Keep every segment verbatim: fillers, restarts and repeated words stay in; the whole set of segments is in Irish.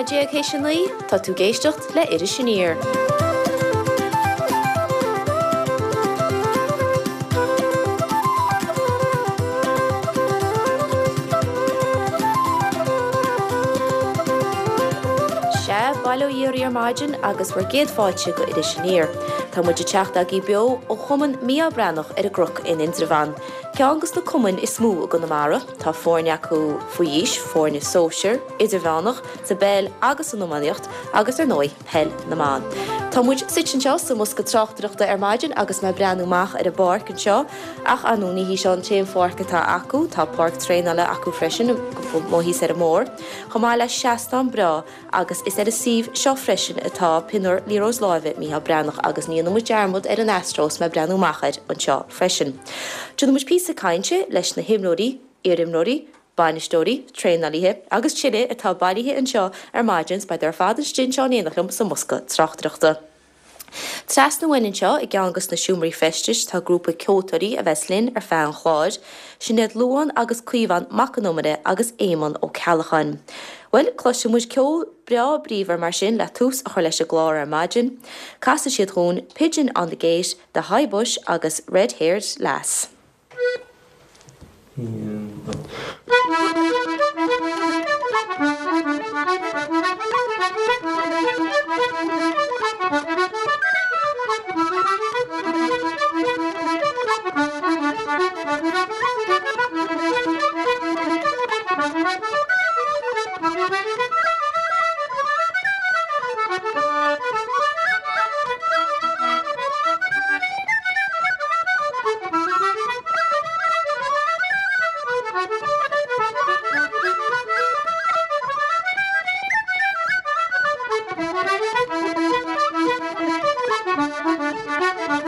nóiméad déag théis a naoi, tá tú ag éisteacht le Iris Aniar. Sea, bail ó Dhia oraibh ar maidin agus bhur gcéad fáilte go Iris Aniar. Tá muid ag teacht agaibh beo ó Chumann Mícheál Breathnach ar an gCnoc in Indreabhán. Ceann dos na cumainn is mó i gConamara, tá foirne acu faoi aois, foirne sóisir, idirmheánach, sa bpeil agus san iománaíocht agus ar ndóigh peil na mban. Tá muid suite anseo sa mbosca tráchtaireachta ar maidin agus mé ag breathnú amach ar an bpáirc anseo ach ar ndóigh ní hí seo an t-aon pháirc atá acu, tá páirc traenála acu freisin amuigh thíos ar an mbóthar, chomh maith le seastán breá agus is ar an suíomh seo freisin atá pionóir liathróid láimhe Mícheál Breathnach agus ní dhéanfaidh muid dearmad ar an Astro is mé ag breathnú amach air anseo freisin. Déanfaidh muid píosa cainte leis na himreoirí, iarimreoirí, bainisteoirí, traenálaithe agus tuilleadh atá bailithe anseo ar maidin, beidh ar fad istigh anseo in éineacht liom sa mbosca tráchtaireachta. Trasna uainn anseo i gceann dos na seomraí feistis tá grúpa ceoltóirí a bheas linn ar feadh an chláir, sin iad Luán agus Caomhán Mac an Iomaire agus Éamonn Ó Ceallacháin. Bhuel, cloisfidh muid ceol breá bríomhar mar sin le tús a chur leis an gclár ar maidin. Casfaidh siad dhúinn Pigeon on the Gate, The High Bush agus Red Haired Lass. Thank you.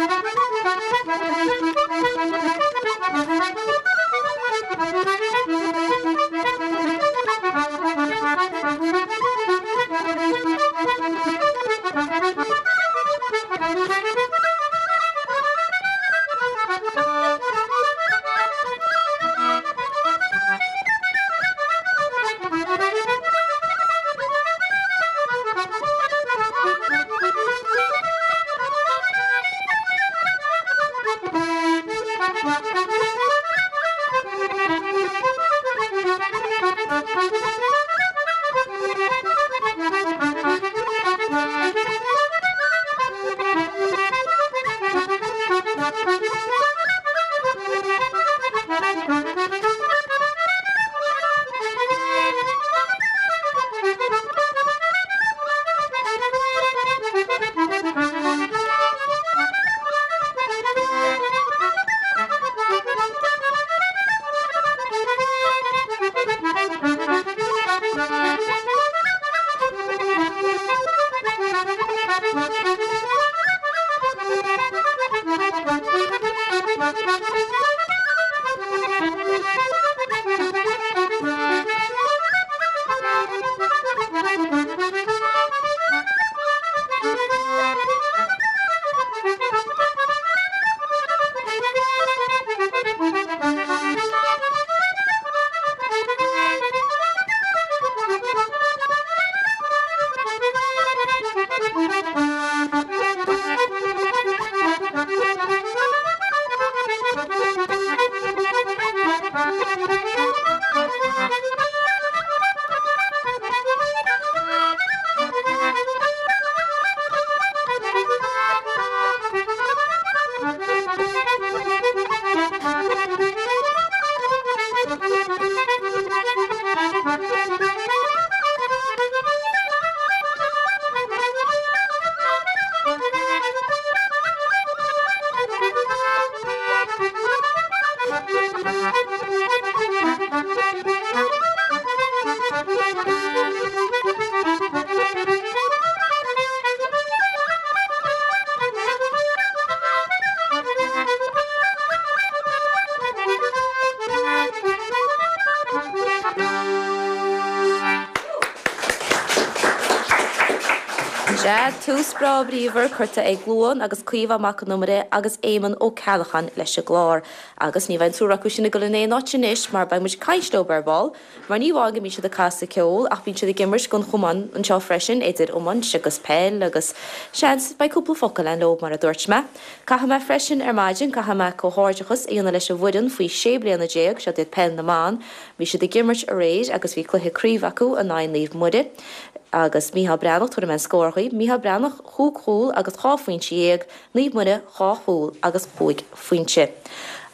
Sea, tús breá bríomhar curtha ag Luan agus Caoimhe Mac Con Iomaire agus Éamonn Ó Ceallacháin leis an gclár. Agus ní bheidh an triúr acu sin ag dul in aon áit anois mar beidh muid ag caint leo ar ball, mar ní amháin go mbíonn siad ag casadh ceoil ach bíonn siad ag imirt don chumann anseo freisin idir iomáint agus peil agus seans beidh cúpla focal againn leo mar a dúirt mé. Caithfidh mé freisin ar maidin caithfidh mé comhghairdeachas a dhéanamh leis an bhfoireann faoi sé bliana déag seo iad peil na mban, bhí siad ag imirt aréir agus bhí cluiche craoibhe acu in aghaidh Naomh Muire. agus Mícheál Breathnach tabharfaidh mé an scór dhaoibh, Mícheál Breathnach chúig chúl agus dhá phointe dhéag, Naomh Muire dhá chúl agus cúig phointe.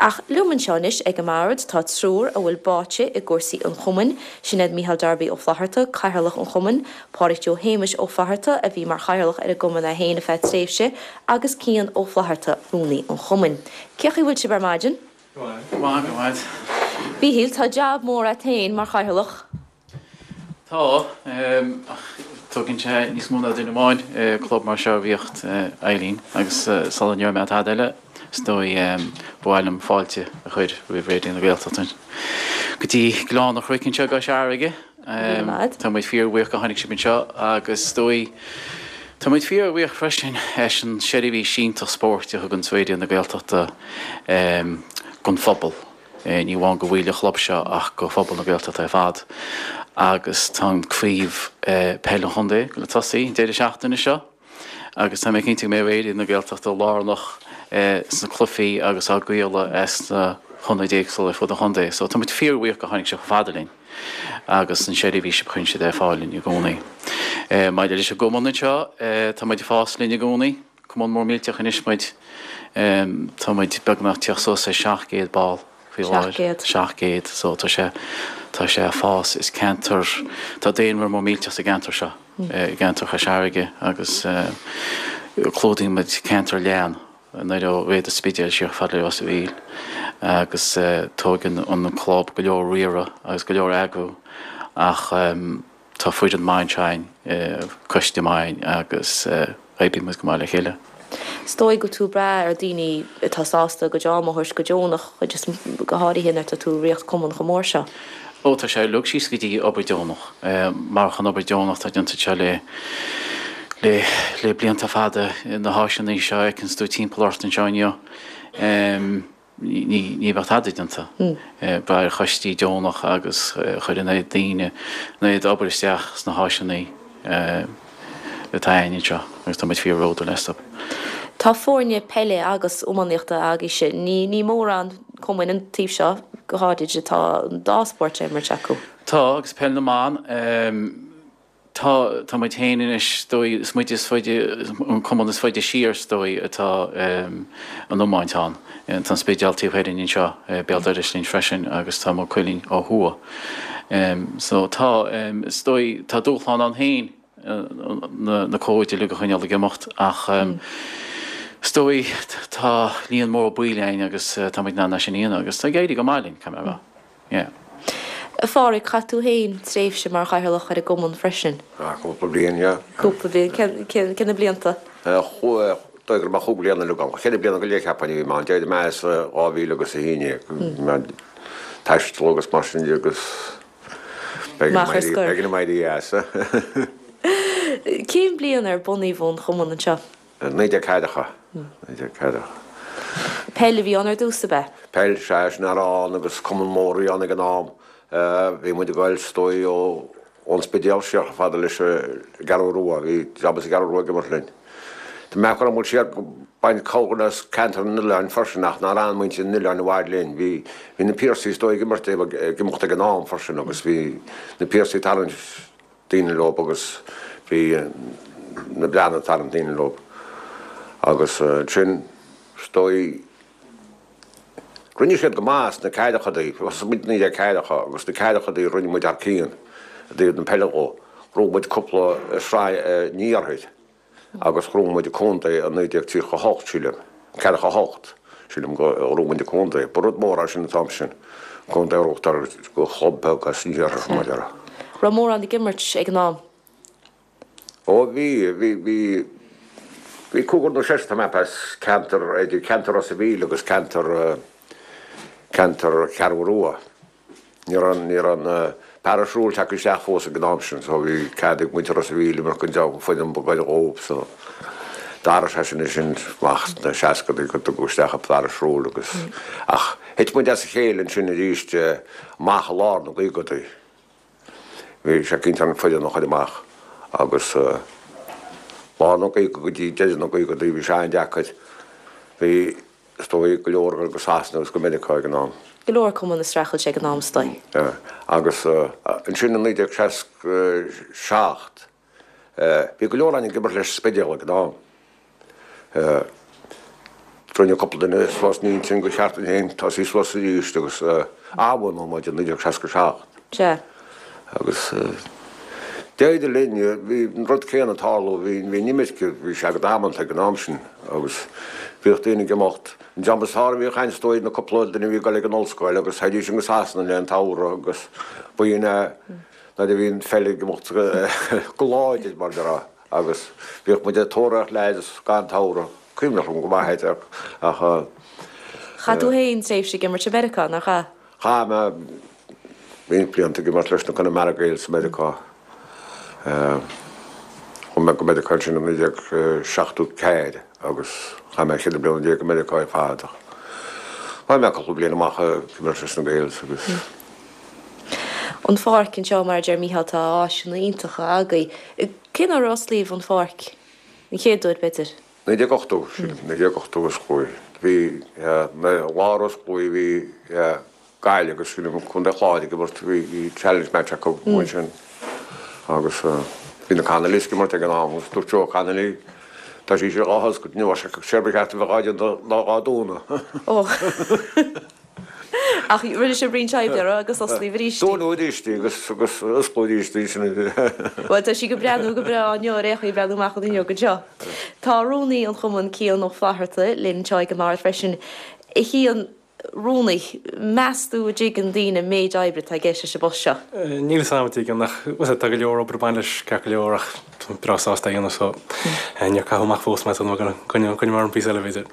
Ach liom anseo anois ag an mbord tá triúr a bhfuil báite i gcúrsaí an chumainn, sin iad Mícheál Darby Ó Flatharta, Cathaoirleach an Chumainn, Pádraig Joe Shéamais Ó Fatharta a bhí mar chathaoirleach ar an gcumann é féin ar feadh tréimhse, agus Cian Ó Flatharta, rúnaí an chumainn. Cén chaoi a bhfuil sibh ar maidin? Go maith, go maith. Mhíchíl, tá jab mór agat féin mar chathaoirleach. Tá, ach tógann sé níos mó ná duine amháin club mar seo a ritheacht Eileen agus sula ndéarfaidh mé tada eile is dóigh ba mhaith liom fáilte a chur roimh Raidió na Gaeltachta go dtí Gleann an Chnoic anseo i gCois Fharraige. Tá muid fíorbhuíoch go tháinig sibh anseo agus is dóigh tá muid fíorbhuíoch freisin as an seirbhís iontach spóirt a thugann Raidió na Gaeltachta don phobal. Ní amháin do bhaill an chlub seo ach do phobal na Gaeltachta ar fad. Agus tá an craobh peil an chontae le tosaí an deireadh seachtaine seo agus tá mé cinnte go mbeidh Raidió na Gaeltachta lárnach sna cluichí agus á gcraoladh as na hionaid éagsúla ar fud an chontae. So tá muid fíorbhuíoch go tháinig sibh chomh fada linn agus an seirbhís a chuireann siad ar fáil linn i gcónaí. Maidir leis an gcumann anseo, tá muid ag fás linn i gcónaí. Cumann mór millteach anois muid. Tá muid beagnach teacht suas ar seacht gcéad ball faoi láthair. Seacht gcéad. So tá sé tá sé ag fás. Is ceantar tá daonra mór millteach sa gceantar seo, i gceantar Chois Fharraige agus clúdaíonn muid ceantar leathan nuair ó Réad an Spidéil siar fad le Ros a' Mhíl agus tógann an club go leor riaradh agus go leor eagrú ach tá foireann maith anseo againn, coiste maith agus oibríonn muid go maith le chéile. Is dóigh go bhfuil tú ag brath ar daoine atá sásta a gcuid ama a thabhairt go deonach, chuid is go háirithe nuair atá tú ag ritheacht cumann chomh mór seo. Ó, tá sé uilig síos go dtí obair deonach. Mar an obair deonach atá déanta anseo le le le blianta fada na háiseanna seo a fheiceanns tú timpeall ort anseo inniu. Ní ní bheadh tada déanta. Brath ar choistí deonach agus chuir an oiread daoine an oiread obair isteach sna háiseanna atá againn anseo agus tá muid fíorbhródúil astu. Tá foirne peile agus iománaíochta agaibhse. Ní ní mórán cumainn an taobh seo go háirid atá an dá spórt á imirt acu. Tá agus peil na mban tá tá muid féin anois is dóigh is muid is faide an cumann is faide siar is dóigh atá an iomáint ann. Tá an Spidéal taobh thoir dínn anseo béal dorais linn freisin agus tá Maigh Cuilinn ó thuaidh. So tá is dóigh tá dúshlán ann féin na na cóid uilig a choinneáil ag imeacht ach is dóigh tá líon mór baill againn agus tá muid in ann é sin a dhéanamh agus tá ag éirí go maith linn, caithfidh mé a rá. Yeah. A Phádraig, chaith tú féin tréimhse mar chathaoirleach ar an gcumann freisin. Ah, cúpla bliain, yeah. Cúpla bliain. Cén cén cén na blianta? Chuaigh dóigh go raibh mé chúig bliana uilig ann. Cheithre bliana go leith cheapfainn a bhí mé ann. D'éirigh mé as dhá mhíle agus a haon déag. Bhí mé ag taisteal agus mar sin de agus b'éigean Amach ar dom éirí scor. b'éigean dom éirí as. Cén bliain ar bunaíodh an chumann anseo? Naoi déag ceathracha. Naoi déag ceathracha. Peil a bhí ann ar dtús, ab ea? Peil, sea, sin a raibh ann agus cumann mór a bhí ann ag an am. Bhí muid ag goil, is dóigh, ó ón Spidéal siar chomh fada leis an gCeathrú Rua. Bhí dream as an gCeathrú Rua ag imirt linn. Tá mé ag cur muid siar ag baint comhghairdeas as ceantar an Oileáin freisin ach nár fhan muintir an Oileáin i bhfad linn. Bhí bhí na Piarsaigh is dóigh ag imirt ag imeacht ag an am freisin agus bhí na Piarsaigh ag tarraingt daoine leo agus bhí na Breathnaigh ag tarraingt daoine leo agus ansin is dóigh rinne siad go maith sna ceathrachaidí, thosaigh muid naoi déag ceathracha agus sna ceathrachaidí rinne muid thar cionn i dtaobh na peile dhó, ghnóthaigh muid cúpla sraith an iarthair agus ghnóthaigh muid an contae i naoi déag tríocha a hocht sílim, ceathracha a hocht sílim go ghnóthaigh muid an contae, ba rud mór é sin an t-am sin, contae a ghnóthachtáil do chlub beag as an iarthar mar a déarfá. Raibh mórán ag imirt ag an am? Ó bhí, bhí, bhí, bhí cúigear nó seisear tá mé as ceantar, idir ceantar Ros a' Mhíl agus ceantar, ceantar Cheathrú Rua. Ní raibh, ní raibh na Parish rule tagtha isteach fós ag an am sin so bhí cead ag muintir Ros a' Mhíl imirt don dream foireann ba ghaire dhóibh so d'athraigh sé sin ansin amach sna seascadaí go dtugadh isteach an parish rule agus ach thit muid as a chéile ansin arís amach i lár na gcaogadaí. Bhí sé cinnte an foireann a chur amach agus lár na gcaoga go dtí deireadh na gcaogadaí bhí sé an-deacair. Bhí is dóigh, go leor ag dul go Sasana agus go Meiriceá ag an am. Go leor cumann ag streachailt ag an am is dóigh. Agus ansin i naoi déag seasca seacht, bhí go leor againn ag imirt leis an Spidéal ag an am. Rinne cúpla duine suas an intinn gur cheart dúinn féin tosaí suas arís agus athbhunú muid i naoi déag seasca seacht. Sea. Agus d'éirigh linn, bhí an rud céanna ag tarlú, bhí an imirce, bhí sé go damanta ag an am sin agus bhíodh daoine ag imeacht. An dream is fearr a bhíodh ann is dóigh na cúpla duine a bhí ag dul ag an ollscoil agus théidís go Sasana le an tsamhradh agus ba in é nuair a bhí an pheil ag imeacht go láidir mar a déarfá agus bhíodh muid ag tóraíocht leaids gach samhradh, cuimhneach liom go maith é ach. Chaith tú féin tréimhse ag imirt i Meiriceá, nár chaith? Chaith mé roinnt blianta ag imirt leis na Connemara Gaels i Meiriceá. Chuaigh mé go Meiriceá ansin i naoi déag seachtó ceathair agus chaith mé cheithre bliana déag i Meiriceá ar fad ach chaith mé cúpla bliain amach ag imirt leis na Gaels agus. An pháirc anseo, mar a deir Mícheál, tá áiseanna iontacha agaibh. Cén uair a osclaíodh an pháirc? An chéad uair, b'fhéidir? Naoi déag ochtó, sílim, naoi déag ochtó a osclaíodh. Bhí, lá ar osclaíodh bhí Gaillimh agus sílim Contae an Chláir ag imirt, bhí challenge match acu ansin agus bhí na Connollys ag imirt ag an am agus dúirt Joe Connolly tá sí seo dhá hoscailt inniu séard ba cheart a bheith dhá déanamh ná dhá dúnadh. Ó. Ach rinne sibh roinnt oibre uirthi agus osclaíodh arís í. Dúnadh arís í agus agus osclaíodh arís í sin. Bhuel tá sí ag breathnú go breá inniu ar aon chaoi ag breathnú amach an fhuinneog anseo. Tá rúnaí an chumainn Cian Ó Flatharta linn anseo ag an mbord freisin. A Chian, Rúnaí, meas tú an dtuigeann daoine an méid oibre atá i gceist leis an bpost seo? Níl 'fhios a'm an dtuigeann ach bhuel tá go leor obair ag baint leis ceart go leor ach tá mé breá sásta é a dhéanamh so níor caitheadh amach fós mé so coinneoidh mé orm píosa eile b'fhéidir.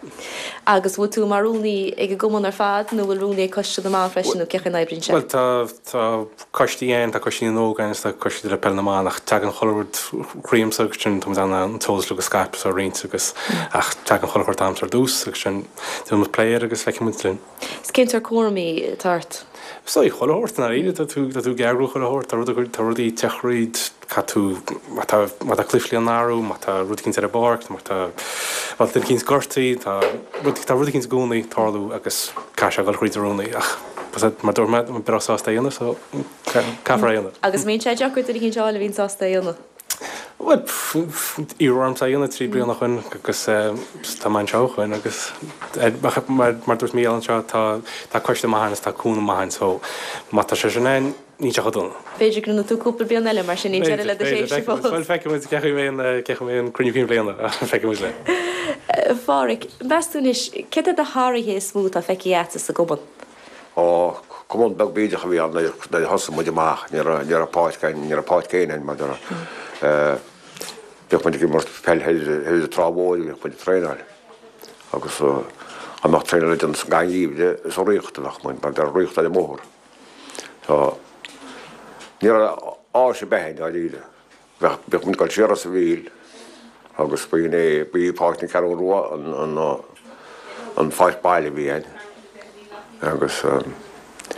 Agus bhfuil tú mar rúnaí ag an gcumann ar fad nó bhfuil rúnaí ag Coiste na mBan freisin nó cén chaoi a n-oibríonn sé? Bhuel tá tá coistí ann, tá coistí na n-óg ann is tá coistí le peil na mban ach tagann chuile rud chugamsa agus sin tá muid in ann an t-eolas uilig a scaipeadh is a roinnt agus ach tagann chuile shórt a'msa ar dtús agus sin déanann muid plé air agus feicfidh muid linn. Is cén sórt cúraimí atá ort? Is dóigh chuile shórt, i ndáiríre, tá tú, tá tú ag eagrú chuile shórt, tá rud, tá rudaí ag teacht thríd, caithfidh tú, má tá, má tá cluichí le n-athrú, má tá rud eicínt ar an bpáirc, má tá, má tá duine eicínt gortaithe, tá rud, tá rud eicínt i gcónaí ag tarlú agus caithfidh sé a dhul thríd an rúnaí ach mar a dúirt mé, tá mé breá sásta é a dhéanamh so caithfear é a dhéanamh. Agus an mbíonn sé deacair duine eicínt a fháil a bhíonn sásta é a dhéanamh? Bhuel, iarradh ormsa é a dhéanamh trí bliana ó shoin agus tá mé anseo ó shoin agus mar a dúirt Mícheál anseo tá tá coiste maith ann is tá cúnamh maith ann so má tá sé sin ann níl sé chomh dona. B'fhéidir go ndéanfaidh tú cúpla bliain eile mar sin níl deireadh le do thréimhse fós. Bhuel feicfidh muid cén chaoi a mbeidh an cén chaoi a mbeidh an cruinniú cinn bliana feicfidh muid linn. A Pháraic, meas tú anois céard iad na hathruithe is mó atá feicthe agatsa sa gcumann? Ó, cumann beag bídeach a bhí ann nuair a thosaigh muid amach, ní raibh, ní raibh páirc againn, ní raibh páirc féin againn mar a bhíodh muid ag imirt peil thoir ar an Trá Mhóir, bhíodh muid ag traenáil agus dá mbeadh traenáil le déanamh sa gcath gheimhridh is ag ritheacht a bheadh muid mar bheadh ritheacht ar an mbóthar. So, ní raibh áis ar bith againn dáiríre. Bheadh, bhíodh muid ag dul siar Ros a' Mhíl agus ba in é, ba í Páirc na Ceathrún Rua an, an, an pháirc baile a bhí againn. Agus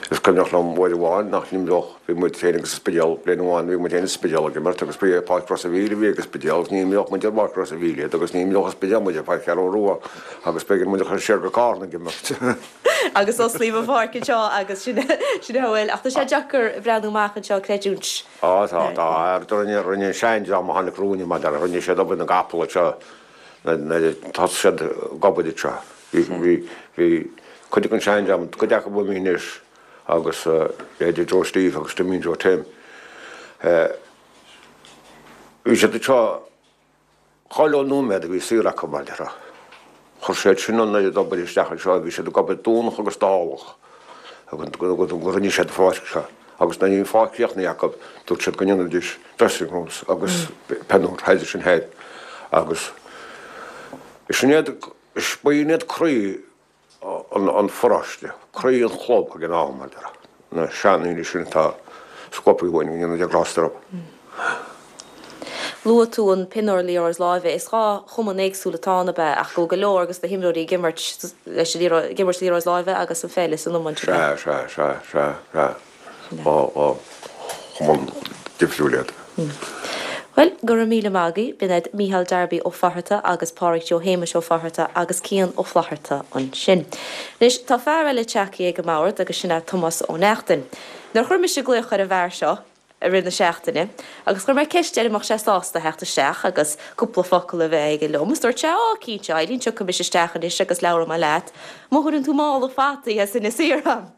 is cuimhneach liom uair amháin nach n-imreodh, bhí muid féin agus an Spidéal, bliain amháin bhí muid féin is an Spidéal ag imirt agus ba é Páirc Ros a' Mhíl a bhí ag an Spidéal agus ní imreodh muid ar Pháirc Ros a' Mhíl iad agus ní imreodh an Spidéal muid ar Pháirc Cheathrún Rua agus b'éigean muid a chur siar go Carna ag imirt. Agus osclaíodh an pháirc anseo agus sin, sin a bhfuil. Ach tá sé deacair breathnú amach anseo, creidiúint. Á tá, tá. Rinne, rinne an seandream a tháinig romhainn mar a déarfá, rinne siad obair na gcapall anseo nuair a thosaigh siad ag obair anseo. Bhí, bhí, bhí cuid den seandream, cuid acu imithe anois agus leithéidí Joe Steve agus Jimín Joe Tim. Bhí siad anseo Chuile nóiméad a bhí saor acu, mar a déarfá. Chuir siad sin an oiread obair isteach anseo, bhí siad ag obair Domhnach agus Dálach go rinne siad an pháirc seo. Agus nuair a bhí an pháirc críochnaithe acu, dúirt siad go ndéanfaidís dressing rooms agus peileadóir thoir sin thoir. Agus sin iad, ba iad croí an pharóiste, croí an chlub ag an am, mar a déarfá, na seandaoine sin atá scuabthaí uainn go ndéana Dia grásta orthu. Luaigh tú an pinniúr liathróid láimhe. Is dhá chumann éagsúil atá ann ab ea ach go bhfuil go leor de na himreoirí ag imirt leis an liathróid, ag imirt liathróid láimhe agus an pheil is an iomáint ab ea? Sea, sea, sea, sea, sea. Dhá, dhá chumann difriúil iad. Bhuel, go raibh míle maith agaibh. B'in iad Mícheál Darby Ó Fatharta agus Pádraig Joe Shéamais Ó Fatharta agus Cian Ó Flatharta ansin. Anois, tá fear eile tagtha ag an mbord agus sin é Tomás Ó Neachtain. Nuair a chuir mise glaoch ar an bhfear seo i rith na seachtaine agus chuir mé ceist air an mbeadh sé sásta theacht isteach agus cúpla focal a bheith aige liom, is dúirt sé, Á, cinnte, Eileen, tiocfaidh mise isteach anois agus labhróidh mé leat má thugann tú mála fataí as Inis Oírr dom.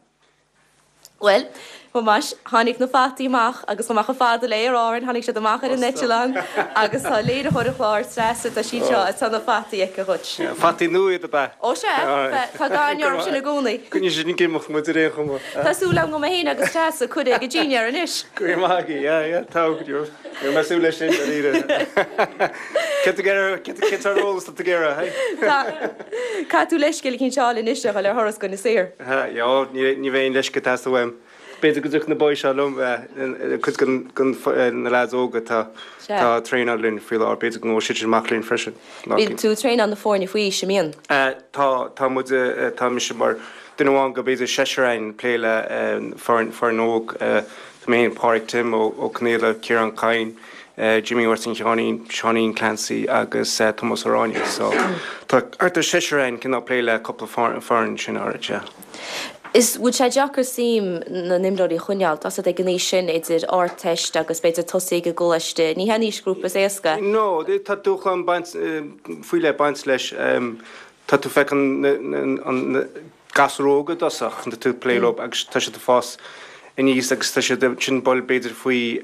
Bhuel, Thomáis, tháinig na fataí amach agus chomh maith chomh fada le Aer Árann, tháinig siad amach ar an eitleán agus tá léiritheoir an chláir, Treasa, tá sí anseo agus tá na fataí aici dhuit. Fataí nua iad ab ea? Ó sea, tá gairneoir orthu sin i gcónaí. Coinneoidh siad ag imeacht muid ar aon chuma. Tá súil agam go mbeidh mé féin agus Treasa cuireadh ag an dinnéar anois. Go raibh maith agat, yeah, yeah, tá, go raibh mé ag súil leis sin, dáiríre. Cé tá ag iarraidh, cé tá ar eolas tá tú ag iarraidh, hey? Tá, caithfidh tú leithscéal eicínt a fháil anois a dhul ar thuras go Inis Oírr. Yeah, ní bheidh aon leithscéal ag teastáil uaim. B'fhéidir go dtiocfaidh na boys seo liom, cuid de na leaids óga atá ag traenáil linn faoi láthair, b'fhéidir go ngabhfaidh siad sin amach linn freisin. Bíonn tú ag traenáil na foirne faoi aois, an mbíonn? Tá, tá muid, tá mise mar duine amháin de b'fhéidir seisear againn ag plé le foireann, foireann óg. Tá mé féin, Pádraig Tim Ó Conaola, Ciarán Kyne, Jimmy Mháirtín Sheáinín, Seáinín Clancy agus Tomás Ó Ráinne. So tá thart ar seisear againn cineál plé le cúpla foireann sin áirid, yeah. Is bhfuil sé deacair suim na n-imreoirí a choinneáil, tá a fhios agat ag an aois sin, idir Ardteist agus b'fhéidir tosaí ag an gcoláiste, ní hé an aoisghrúpa is éasca. No, tá dúshlán baint, faoi leith baint leis. Tá tú ag feiceáil na gasúir óga i dtosach, tá tú ag plé leo agus tá siad ag fás aníos agus tá siad ansin dul b'fhéidir faoi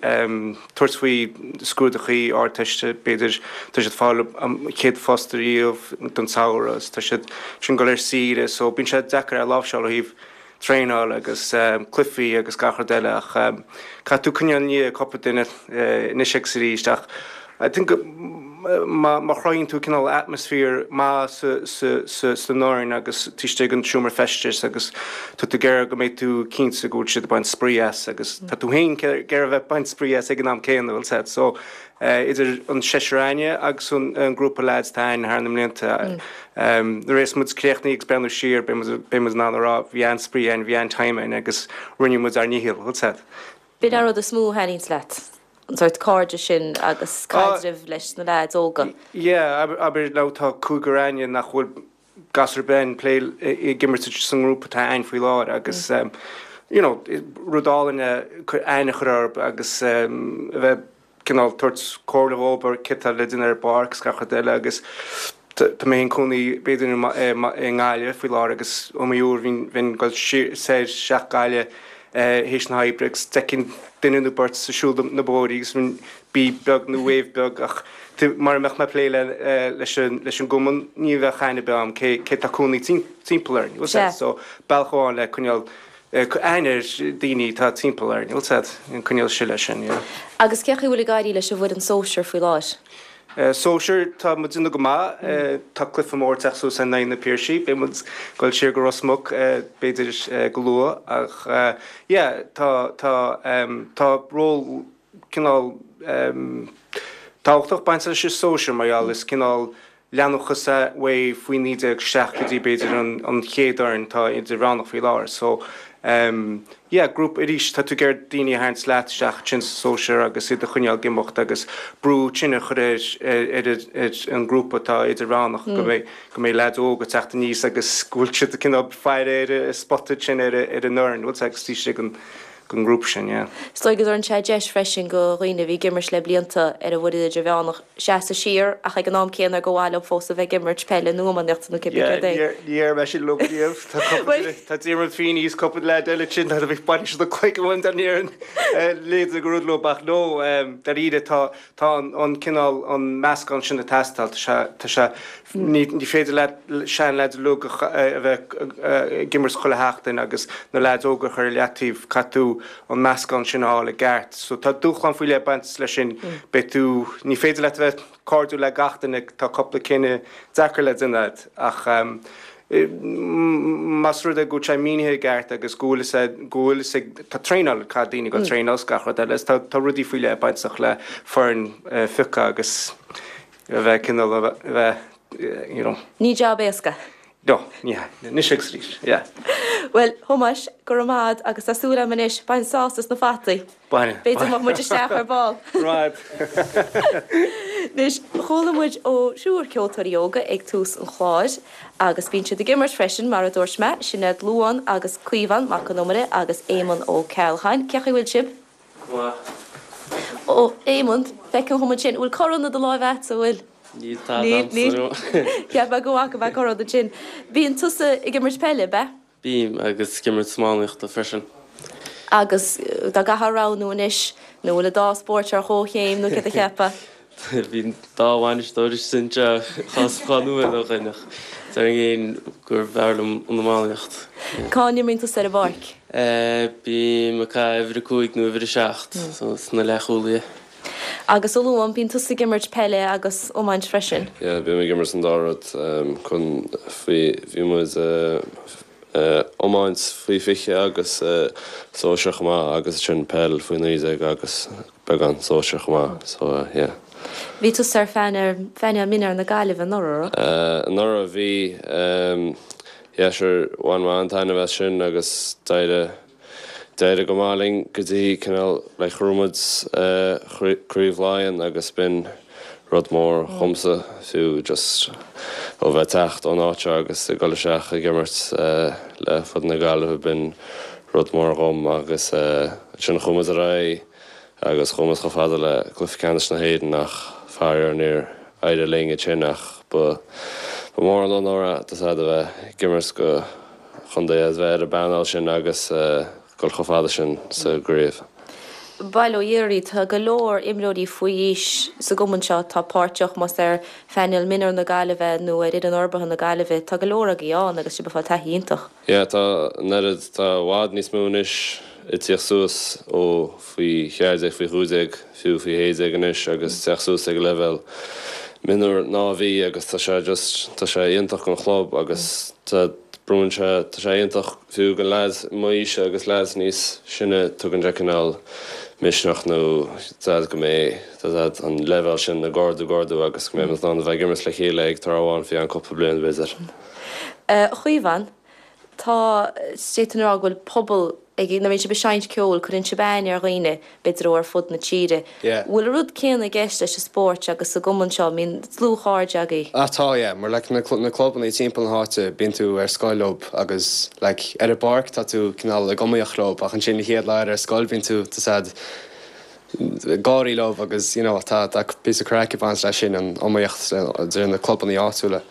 tabhairt faoi scrúdachaí Ardteiste, b'fhéidir tá siad fáil an chéad phost ariamh don samhradh agus tá siad ansin dul ar saoire so bíonn sé deacair é a láimhseáil ó thaobh traenáil agus cluichí agus gach rud eile ach caithfidh tú coinneáil i ndiaidh cúpla duine anois agus arís ach I think má má chruthaíonn tú cineál atmosphere maith sa sa san fhoireann agus taobh istigh den seomra feistis agus tá tú ag iarraidh go mbeidh tú cinnte go bhfuil siad ag baint spraoi as agus tá tú féin ag iarraidh bheith ag baint spraoi as ag an am céanna, bhfuil a fhios agat. So idir an seisear againne agus an an grúpa lads atá againn thar na mblianta nuair a bheas muid críochnaithe agus breathnú siar beidh muid beidh muid in ann a rá bhí an-spraoi againn, bhí an-time againn agus rinne muid ár ndícheall, bhfuil a fhios agat. B'in an rud is mó a thaitníonns leat, an sórt cairde sin agus caidreamh leis na leaids óga. Yeah, abair now tá cúigear againne nach bhfuil gasúr ar bith ag plé ag imirt sa ngrúpa atá againn faoi láthair agus you know rud álainn é aithne a chur orthu agus a bheith cineál tabhairt comhairle dhóibh ar céard atá le déanamh ar an bpáirc agus gach rud eile agus tá mé i mo chónaí b'fhéidir i nGaillimh faoi láthair agus is iomaí uair bhínn bheinn ag dul soir isteach Gaillimh théis na hoibre agus d'fheicfinn duine nó beirt ag siúl na bóithrí agus bhínn bíb beag nó wave beag ach mura mbeadh mé ag plé leis an leis an gcumann ní bheadh aithne ar bith agam cé cé tá cónaí timpeall orainn, bhfuil a fhios agat, so bealach amháin le coinneáil aithne ar daoine atá timpeall orainn, bhfuil a fhios agat, coinneáil siar leis sin, yeah. Agus cén chaoi a bhfuil ag éirí leis an bhfoireann sóisir faoi láthair? Sóisir, tá muid ag déanamh go maith. Tá cluiche mór ag teacht suas in aghaidh na Piarsaigh. Beidh muid ag dul siar go Ros Muc b'fhéidir go luath ach yeah tá tá tá ról cineál tábhachtach bainte leis an sóisir mar gheall is cineál leanúnachas é uaidh faoi naoi déag isteach go dtí b'fhéidir an chéad fhoireann atá idirmheánach faoi láthair. So yeah grúpa arís tá tú ag iarraidh daoine a tharraingt leat isteach ansin sa sóisear agus iad a choinneáil ag imeacht agus brú tinn a chur ar ar ar an ngrúpa atá idirmheánach go mbeidh go mbeidh leaids óga ag teacht aníos agus go bhfuil siad cineál faire ar a spota ansin ar ar an fhoireann bhfuil agus taobh istigh den den ngrúpa sin yeah. Is dóigh go dtabharann sé deis freisin go dhaoine a bhí ag imirt le blianta ar an bhfoireann idirmheánach seasamh siar ach ag an am céanna ar gur mhaith leo fós a bheith ag imirt peile nó iománaíochta nó cibé Yeah céard é. ní ní déarfaidh mé sin leo riamh. Tá cúpla Bhuel. duine, tá Diarmuid Feeney is cúpla leaid eile ansin a bhí bainfidh siad an cloigeann uaim dá ndéarfainn léide go rud leo ach no dáiríre tá tá an an cineál an meascán sin ag teastáil tá sé tá sé ní ní féidir leat seanleaids uilig a bheith ag imirt chuile sheachtain agus na leaids óga a chur ar leataobh, caithfidh tú an meascán sin a fháil i gceart. So tá dúshlán faoi leith ag baint leis sin, beidh tú, ní féidir leat a bheith cairdiúil le gach duine, tá cúpla cinneadh deacair le déanamh ach Más rud é go bhfuil sé mínithe i gceart agus go bhfuil fhios ag, go bhfuil fhios ag, tá traenáil, caithfidh daoine go traenáil is gach rud eile, tá, tá rudaí faoi leith bainteach le foireann a phiocadh agus a bheith cineál a bheith, you know. Ní jab éasca. No, ní hea. Anois agus arís, yeah. Bhuel, Thomáis, go raibh maith a'd agus tá súil a'm anois, bain sásamh as na fataí. Bainfidh. B'fhéidir go mbeidh muid isteach ar ball. Right. Anois, chuala muid ó thriúr ceoltóirí óga ag tús an chláir agus bíonn siad ag imirt freisin, mar a dúirt mé, Sinéad Luan agus Caomhán Mac Con Iomaire agus Éamonn Ó Ceallacháin. Cén chaoi a bhfuil sibh? Go maith. Ó, Éamonn, feicim chugam ansin, bhfuil corn i do láimh a'dsa, bhfuil? Níl tada a'msa, no. Cheap mé go bhfaca mé corn ansin. Bíonn tusa ag imirt peile, ab ea? Bím, agus ag imirt iománaíochta freisin. Agus dá gcaithfeá roghnú anois, nó bhfuil an dá spórt ar chomhchéim nó céard a cheapfá? Bhí an dá bhainisteoir istigh anseo dhá nóiméad ó shin ach déarfainn gurbh fhearr liom an iománaíocht. Cá n-imríonn tusa ar an bpáirc? Bím ag caitheamh uimhir a cúig nó uimhir a seacht, so sna leathchúlaithe. Agus a Luan, bíonn tusa ag imirt peile agus iomáint freisin? Yeah, bím ag imirt an dá rud. Chun faoi, bhí muid iomáint faoi fiche agus sóisear chomh maith agus ansin peil faoi naoi déag agus beagán sóisear chomh maith, so yeah. Bhí tusa ar phainéal mionúir na Gaillimhe anuraidh, raibh? Anuraidh bhí, yeah sure, bhain mé an-taitneamh as sin agus d'éirigh D'éirigh go maith linn go dtí cineál like ghnóthaigh muid Craobh Laighean agus b'in rud mór dhomsa fiú just ó bheith teacht ón áit seo agus ag dul isteach ag imirt le foireann na Gaillimhe b'in rud mór dhom agus ansin chuaigh muid ar aghaidh agus chuaigh muid chomh fada le cluiche ceannais na hÉireann ach faraor níor éirigh linn ansin ach ba ba mór an onóir é tá a fhios a'd a bheith ag imirt go chontae a bheith ar an bpainéal sin agus dul chomh fada sin sa gcraobh. Bail ó Dhia oraibh, tá go leor imreoirí faoi aois sa gcumann seo atá páirteach, más ar phainéal mionúir na Gaillimhe nó ar fhoireann forbartha na Gaillimhe, tá go leor agaibh ann agus sibh ag fáil taithí iontach. Yeah, tá an oiread, tá i bhfad níos mó anois ag tíocht suas ó faoi cheathair déag, faoi chúig déag, fiú faoi shé déag anois agus teacht suas ag an leibhéal mionúir ná a bhí agus tá sé just, tá sé iontach don chlub agus tá, Brúnn sé, tá sé iontach fiú do leaids m'aoise agus leaids níos sine, tugann sé cineál misneach nó tá a fhios a'd go mbeidh, tá a fhios a'd, an leibhéal sin ag ardú, ag ardú agus go mbeidh muid in ann a bheith ag imirt le chéile ag tráth amháin faoi cheann cúpla bliain b'fhéidir. A Chaomháin, tá, d'fhéadfainn a rá go bhfuil pobal ag, nuair a bhíonn sibh ag seinnt ceoil, cuireann sibh aithne ar dhaoine, b'fhéidir ó ar fud na tíre. Yeah. Bhfuil an rud céanna i gceist leis an spórt agus sa gcumann seo, an mbíonn dlúthchairde agaibh? Ah tá, yeah, mar like na na clubanna timpeall na háite, bíonn tú ar scoil leob agus like ar an bpáirc tá tú cineál ag iomaíocht leob ach ansin an chéad lá eile ar scoil bíonn tú tá a fhios a'd ag gáirí leob agus you know tá tá píosa craic ag baint leis sin an iomaíocht idir na clubanna áitiúla.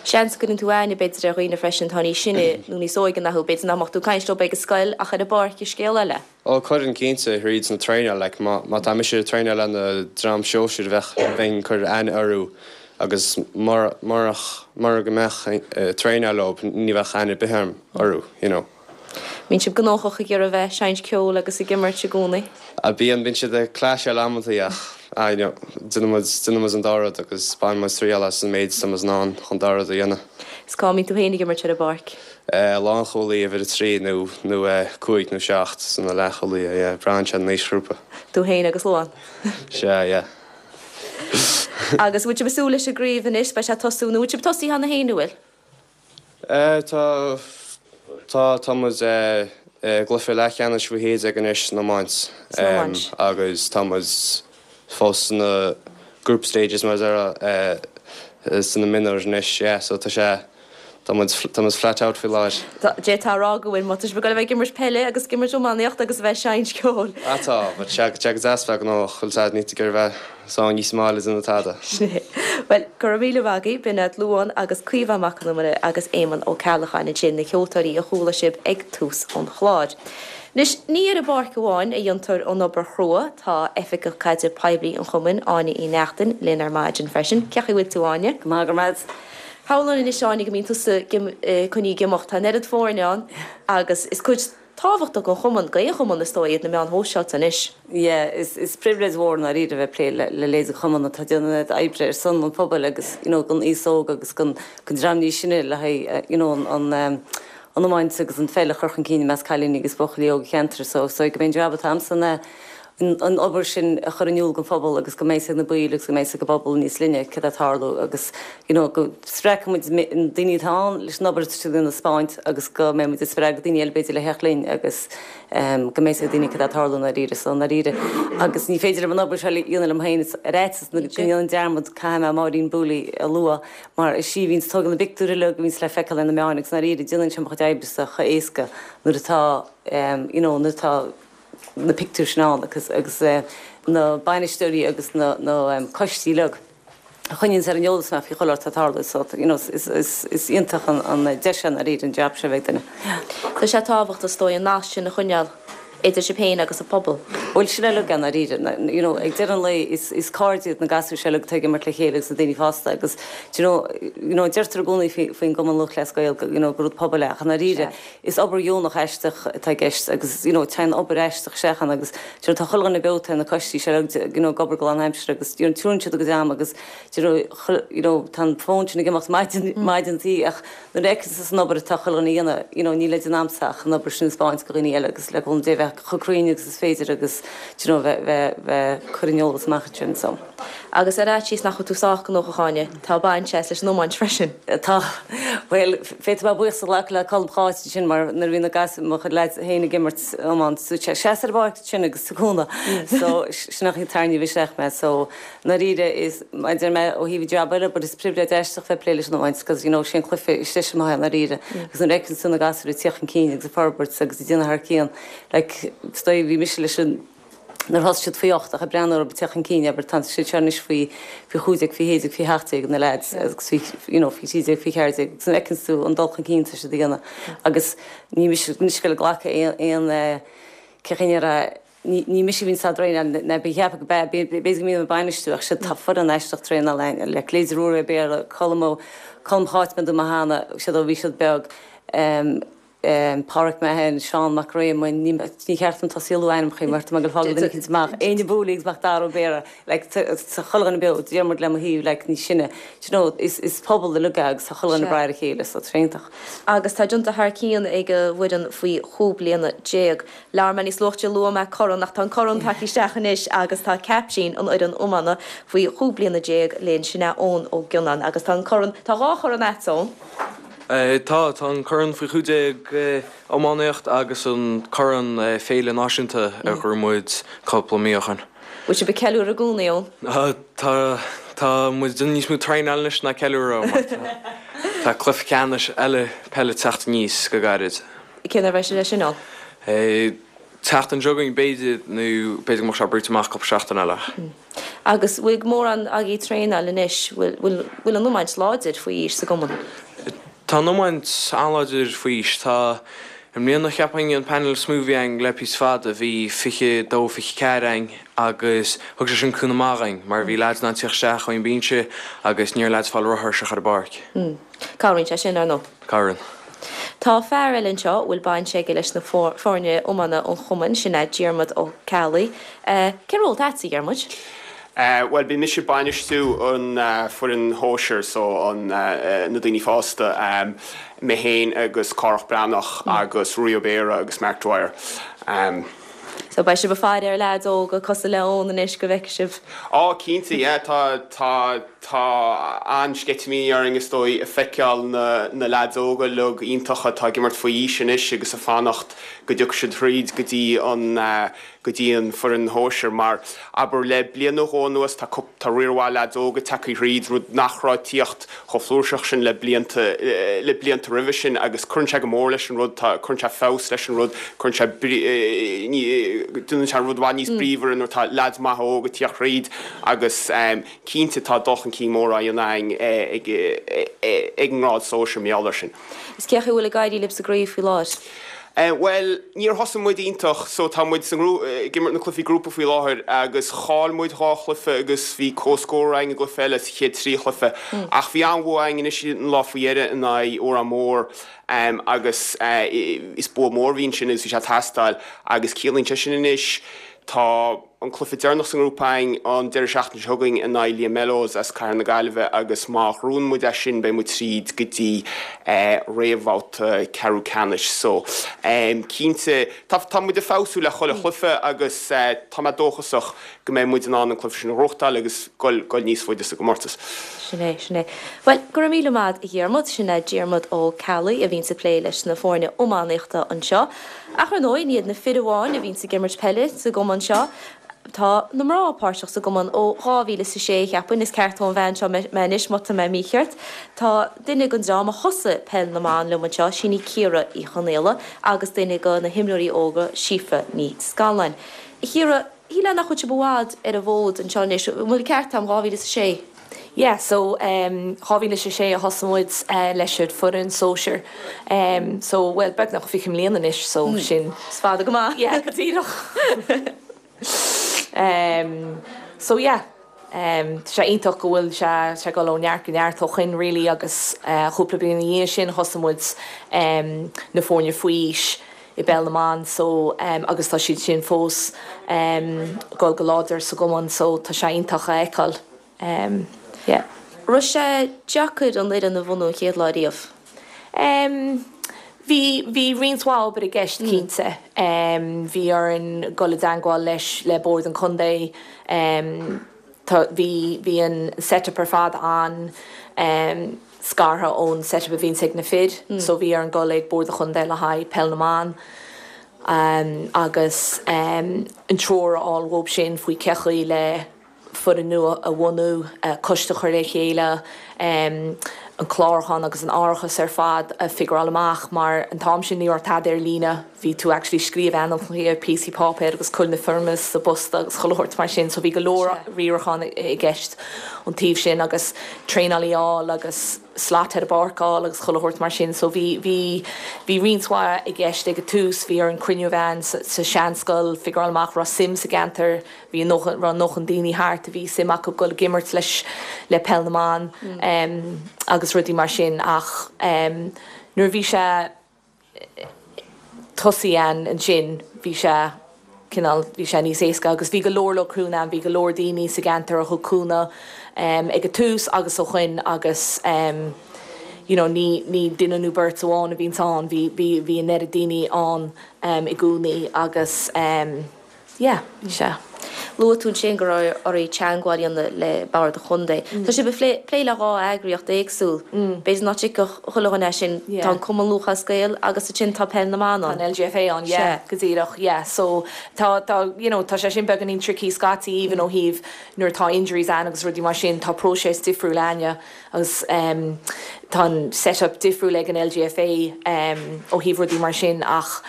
Seans go gcuireann tú aithne b'fhéidir ar dhaoine freisin atá níos sine nó níos óige ná thú, b'fhéidir nach mbeadh tú ag caint leo ag an scoil ach ar an bpáirc is scéal eile. Ó cuireann cinnte, thríd na traenáil, like má má tá mise ag traenáil le na dream sóisir bheadh bheinn ag cur aithne orthu agus mura murach mura go mbeadh ag traenáil leo ní bheadh aithne ar bith agam orthu, you know. Mbíonn sibh gnóthach ag iarraidh bheith ag seinnt ceoil agus ag imirt i gcónaí? Ah bíonn, bíonn siad ag clasháil amantaí ach ah you know déanann muid, déanann muid an dá rud agus baineann muid triail as an méid atá muid in ann chun dá rud a dhéanamh. Is cá mbíonn tú féin ag imirt ar an bpáirc? Eh lánchúlaí uimhir a trí nó nó eh cúig nó seacht sna leathchúlaithe yeah braitheann sé ar an aoisghrúpa. Tú féin agus Luan? Sea yeah. Agus bhfuil sibh ag súil leis an gcraobh anois, beidh sé ag tosú nó bhfuil sibh tosaithe cheana féin an bhfuil? Tá, tá, tá muid i gcluiche leathcheannais faoi shé déag anois san iomáint agus tá muid fós sna group stages mar a déarfá sna mionúir anois, yeah, so tá sé, tá muid, tá muid flat out faoi láthair. D'fhéadfá a rá go bhfuil, má tá sibh ag dul a bheith ag imirt peile agus ag imirt iománaíocht agus a bheith ag seinnt ceoil. Ah tá, but tá sé go deas bheith gnóthach, bhfuil a fhios a'd, níl tú ag iarraidh bheith sáinnithe sa mbaile ag déanamh tada. Sin é. Bhuel, go raibh míle maith agaibh. B'in iad Luan agus Caomhán Mac Con Iomaire agus Éamonn Ó Ceallacháin ansin, na ceoltóirí a chuala sibh ag tús an chláir. Anois, ní ar an bpáirc amháin a dhéantar an obair chrua, tá Oifigeach Caidreamh Poiblí an Chumainn, Áine Uí Neachtain, linn ar maidin freisin. Cén chaoi a bhfuil tú, Áine? Go maith, go raibh maith. Shamhlóinn anois, Áine, go mbíonn tusa coinnithe ag imeacht. Tá an oiread foirne ann agus is cuid tábhachtach don chumann, d'aon chumann is dóigh, iad na meáin shóisialta anois. Yeah, is is pribhléid mhór i ndáiríre a bheith ag plé le le leithéid de chumann atá ag déanamh oibre ar son an phobail agus you know don aos óg agus don don dream níos sine le haghaidh you know an an um, an iomáint agus an pheil a chur chun cinn i measc cailíní agus buachaillí óga an cheantair so so go mbeidh an jab atá a'msa ná an obair sin a chur in iúl don phobal agus go mbeidh a fhios ag na baill agus go mbeidh a fhios ag an bpobal níos leithne cad atá ag tarlú agus you know go spreagfaidh muid na daoine atá ann leis an obair atá siad ag taispeáint agus go mbeidh muid ag spreagadh daoine eile b'fhéidir le theacht linn agus um, go mbeidh a fhios ag daoine cad atá ag tarlú i ndáiríre so i ndáiríre agus ní féidir liom an obair seo a dhéanamh liom féin ar fhaitíos go ndéanfainn dearmad caithfidh mé Máirín Booley a lua mar is í a bhíonn ag tógáil na bpictiúr uilig a bhíonns le feiceáil ar na meáin agus i ndáiríre déanann sé mo chuid oibre chomh héasca nuair atá um, you know, nuair atá na pictiúir sin ann agus agus eh, na bainisteoirí agus na, na um, coistí uilig a choinníonn ar an eolas mé faoi chuile shórt atá ag tarlú so you know, is, is, is iontach an, an deis i ndáiríre an jab seo bheith duine. Tá sé tábhachtach is dóigh an nasc sin a choinneáil idir sibh féin agus an pobal. Bhuel sin uilig i ndáiríre you know, ag deireadh an lae is, is cairde iad na gasúir seo uilig atá ag imirt le chéile agus na daoine fásta agus you know, you know, deirtear i gcónaí faoin gCumann Lúthchleas Gael you know, gur rud pobail é ach i ndáiríre is obair dheonach aisteach atá i gceist agus you know, téann obair aisteach isteach ann agus you know, tá chuile dhuine beo tá na coistí seo you know, ag obair go lánaimseartha agus you know, tugann siad a gcuid ama agus you know, you know, tá an fón sin ag imeacht maidin maidin tí ach nuair a fheiceann an obair atá chuile dhuine a dhéanamh you know, níl le déanamh a'msa ach an obair sin a thaispeáint do dhaoine eile agus le cúnamh Dé bheith chomh cruinn agus is féidir agus you know, bheith bheith bheith cur an eolas amach sin so. Agus ar fhaitíos nach bhfuil tú sách gnóthach Áine, tá baint agat leis an iomáint freisin. Tá well féadfaidh mé buíochas a ghlacadh le Colm Cháit sin mar nuair a bhí na gas mo chuid leaids féin ag imirt iomáint so sé seas ar an bpáirc sin agus tabhair cúnamh so sin an chaoi ar tarraingíodh isteach mé so i ndáiríre is deir mé ó thaobh jab eile but is pribhléid aisteach bheith ag plé leis an iomáint because you know sin cluiche is deise maith i ndáiríre agus nuair a fheiceann tú na gasúir ag teacht chun cinn agus ag forbairt agus ag déanamh thar cionn like stoi bhí mise leis an nuair a thosaigh siad faoi ocht ach ag breathnú orthu ag teacht chun cinn abair tá siad seo anois faoi faoi chúig déag faoi shé déag faoi sheacht déag na lads agus faoi you know faoi trí déag faoi ceathair déag agus nuair a fheiceann tú an dul chun cinn tá siad a dhéanamh agus ní mise anois ag glacadh aon aon cé chaoi a ní ní mise a bhíonn á dtraenáil ná bí cheapadh go b'fhéidir go mbím ag bainistiú ach siad tá foireann aisteach traenáil againn le Cléidir Ruairí Ó Béarra Colm Ó Colm Cháit mé do mo hana siad ó bhí siad beag um, um, Pádraig Mahon, Seán Mac Réamoinn, ní ní cheart dom tosaí ag lua ainmneacha mar tá mé ag fágáil duine eicínt amach. Éinne Booley agus Mac Dara Ó Béarra, like, tá chuile dhuine beo, Diarmuid le mo thaobh, like, níos sine. Do you know, is, is pobal uilig é agus tá chuile dhuine ag brath ar a chéile, so tá sé iontach. Agus tá déanta thar cionn ag an bhfoireann faoi chúig bliana déag. Labhair mé níos luaithe luaigh mé corn ach tá an corn tagtha isteach anois agus tá caiptín an fhoireann iomána faoi chúig bliana déag linn sin é Eoin Ó Gionnáin agus tá an corn, tá dhá chorn agat Eoin. Tá tá an corn faoi chúig déag iománaíocht agus an corn féile náisiúnta a ghnóthaigh muid cúpla mí ó shin. Bhfuil sibh ag ceiliúradh i gcónaí Eoin? Tá tá muid níos mó traenáil anois ná ceiliúradh mar tá cluiche ceannais eile peile teacht aníos go gairid. Cén uair a bheidh sé sin ann? Teacht an jogaing b'fhéidir nó b'fhéidir go mbeadh sé brúite amach cúpla seachtain eile. Agus bhfuil mórán agaibh ag traenáil anois, bhfuil bhfuil an iomáint láidir faoi aois sa gcumann? Tá an iomáint an-láidir faoi aois. Tá i mbliana cheapfainn an panel is mó a bhí againn le píosa fada, bhí fiche dó fiche ceathair againn agus thug sé sin cúnamh maith dhúinn mar bhí leaids in ann tíocht isteach ón mbinse agus ní raibh leaids ag fáil rothar isteach ar an bpáirc. Cabhraíonn sé sin ar ndóigh. Cabhraíonn. Tá fear eile anseo a bhfuil baint aige leis na foirne iomána ón chumann, sin é Diarmuid Ó Ceallaigh. Cén ról atá agat, a Dhiarmuid? Bhuel, bíonn mise ag bainistiú an foireann shóisir, so an na daoine fásta, mé féin agus Cárthach Breathnach agus Ruairí Ó Béarra agus Mark Dwyer. So beidh sibh ag faire ar leaids óga cosúil le Eoin anois go bhfeicfidh sibh. Á, cinnte, yeah, tá tá tá an-sceitimíní orainn is dóigh ag feiceáil na na leaids óga uilig iontacha atá ag imirt faoi aois anois agus ag fanacht go dtiocfaidh siad thríd go dtí an go dtí an foireann shóisir mar abair le bliain nó dhó anuas tá tá riar mhaith leaids óga tagtha thríd rud nach raibh ag tíocht chomh flúirseach sin le blianta le blianta roimhe sin agus cuireann sé go mór leis an rud tá cuireann sé feabhas leis an rud cuireann sé brí ní déanann sé an rud i bhfad níos bríomhaire nuair tá leaids maithe óga ag tíocht thríd agus cinnte tá dul chun cinn mór á dhéanamh againn ag ag an ngrád sóisir mar gheall air sin. Is cén chaoi a bhfuil ag éirí libh sa gcraobh faoi láthair? Bhuel, níor thosaigh muid iontach, so tá muid san ag imirt na cluichí grúpa faoi láthair agus chaill muid dhá chluiche agus bhí comhscór againn i gcluiche eile sa chéad trí chluiche. Ach bhí an-bhua againn anois an lá faoi dheireadh in aghaidh Órán Mór agus is bua mór a bhí ansin agus bhí sé ag teastáil agus ciallaíonn sé sin anois Tá an cluiche deireanach sa ngrúpa againn an deireadh seachtaine seo chugainn in aghaidh Liam Mellows as Cathair na Gaillimhe agus má ghnóthaíonn muid é sin beidh muid tríd go dtí réamhbhabhta ceathrú ceannais. So, cinnte, tá tá muid ag feabhsú le chuile chluiche agus tá mé dóchasach go mbeidh muid in ann an cluiche sin a ghnóthachtáil agus goil goil níos faide sa gcomórtas. Sin é, sin é. Bhuel, go raibh míle maith a Dhiarmuid. Sin é Diarmuid Ó Ceallaigh a bhíonns ag plé leis na foirne iománaíochta anseo. Ach ar ndóigh, ní hiad na fir amháin a bhíonns ag imirt peile sa gcumann seo. Tá na mná páirteach sa gcumann ó dhá mhíle is a sé, cheapfainn, is ceartóidh an bhean seo mé anois má tá mé mícheart. Tá duine den dream a thosaigh Peil na mBan liom anseo, sin í Ciara Uí Chonaola, agus duine de na himreoirí óga, Síofra Ní Scanláin. A Chiara, shílfeá nach bhfuil sibh i bhfad ar an bhfód anseo anois, an bhfuil an ceart agam, dhá mhíle is a sé? Yeah, so um dhá mhíle is a sé a thosaigh muid leis an foireann sóisir um so bhuel beagnach fiche mbliana anois so sin. Is fada go maith. Yeah, go díreach. Um so yeah um tá sé iontach go bhfuil sé sé ag dul ó neart go neart ó shoin really agus cúpla bliain ina dhiaidh sin thosaigh muid um na foirne faoi aois i bpeil na mban so um agus tá siad sin fós um ag dul go láidir sa gcumann so tá sé iontach a fheiceáil. Um, yeah. Raibh sé deacair an fhoireann a bhunú an chéad lá riamh? Um, bhí, bhí roinnt mhaith obair i gceist cinnte. Um, bhí orainn dul i dteangmháil leis le Bord an Chontae. Um, tá, bhí, bhí an setup ar fad an um, scartha ón setup a bhíonns ag na fir, mm. so bhí orainn dul ag Bord an Chontae le haghaidh peil na mban. Um, agus um, an treoir a fháil uathu sin faoi cé chaoi le foireann nua a bhunú, coiste a chur le chéile, an clárúchán agus an árachas ar fad a figureáil amach mar an t-am sin ní raibh tada ar líne, bhí tú actually scríobh ainmneacha ar píosaí páipéir agus cur na foirmeacha sa bpost agus chuile shórt mar sin so bhí go leor riaracháin i gceist ón taobh sin agus traenálaí a fháil agus slot ar an bpáirc a fháil agus chuile shórt mar sin so bhí bhí bhí roinnt mhaith i gceist ag an tús, bhí orainn cruinniú a bheith ann sa seanscoil, figureáil amach raibh suim sa gceantar, bhí a ndóthain raibh a ndóthain daoine thart a bhí suim acu dul ag imirt leis le peil na mban agus rudaí mar sin ach nuair a bhí sé tosaithe ann ansin bhí sé cineál bhí sé níos éasca agus bhí go leor leor cúnamh ann, bhí go leor daoine sa gceantar a thug cúnamh ag an tús agus ó shoin agus you know ní ní duine nó beirt amháin a bhíonns ann, bhí bhí bhí an oiread daoine ann i gcónaí agus yeah bhí sé. Luaigh tú ansin go raibh oraibh teagmháil a dhéanamh le Bord an Chontae. Tá sibh ag plé le dhá eagraíocht éagsúil. B'fhéidir nach dtuigfeadh chuile dhuine é sin. Tá an Cumann Lúthchleas Gael agus ansin tá Peil na mBan ann. Tá an LGFA ann, yeah, go díreach, yeah. So tá, tá, you know, tá sé sin beagáinín tricky scaití even ó thaobh nuair atá injuries ann agus rudaí mar sin, tá próiseas difriúil againne agus tá an set-up difriúil ag an LGFA ó thaobh rudaí mar sin ach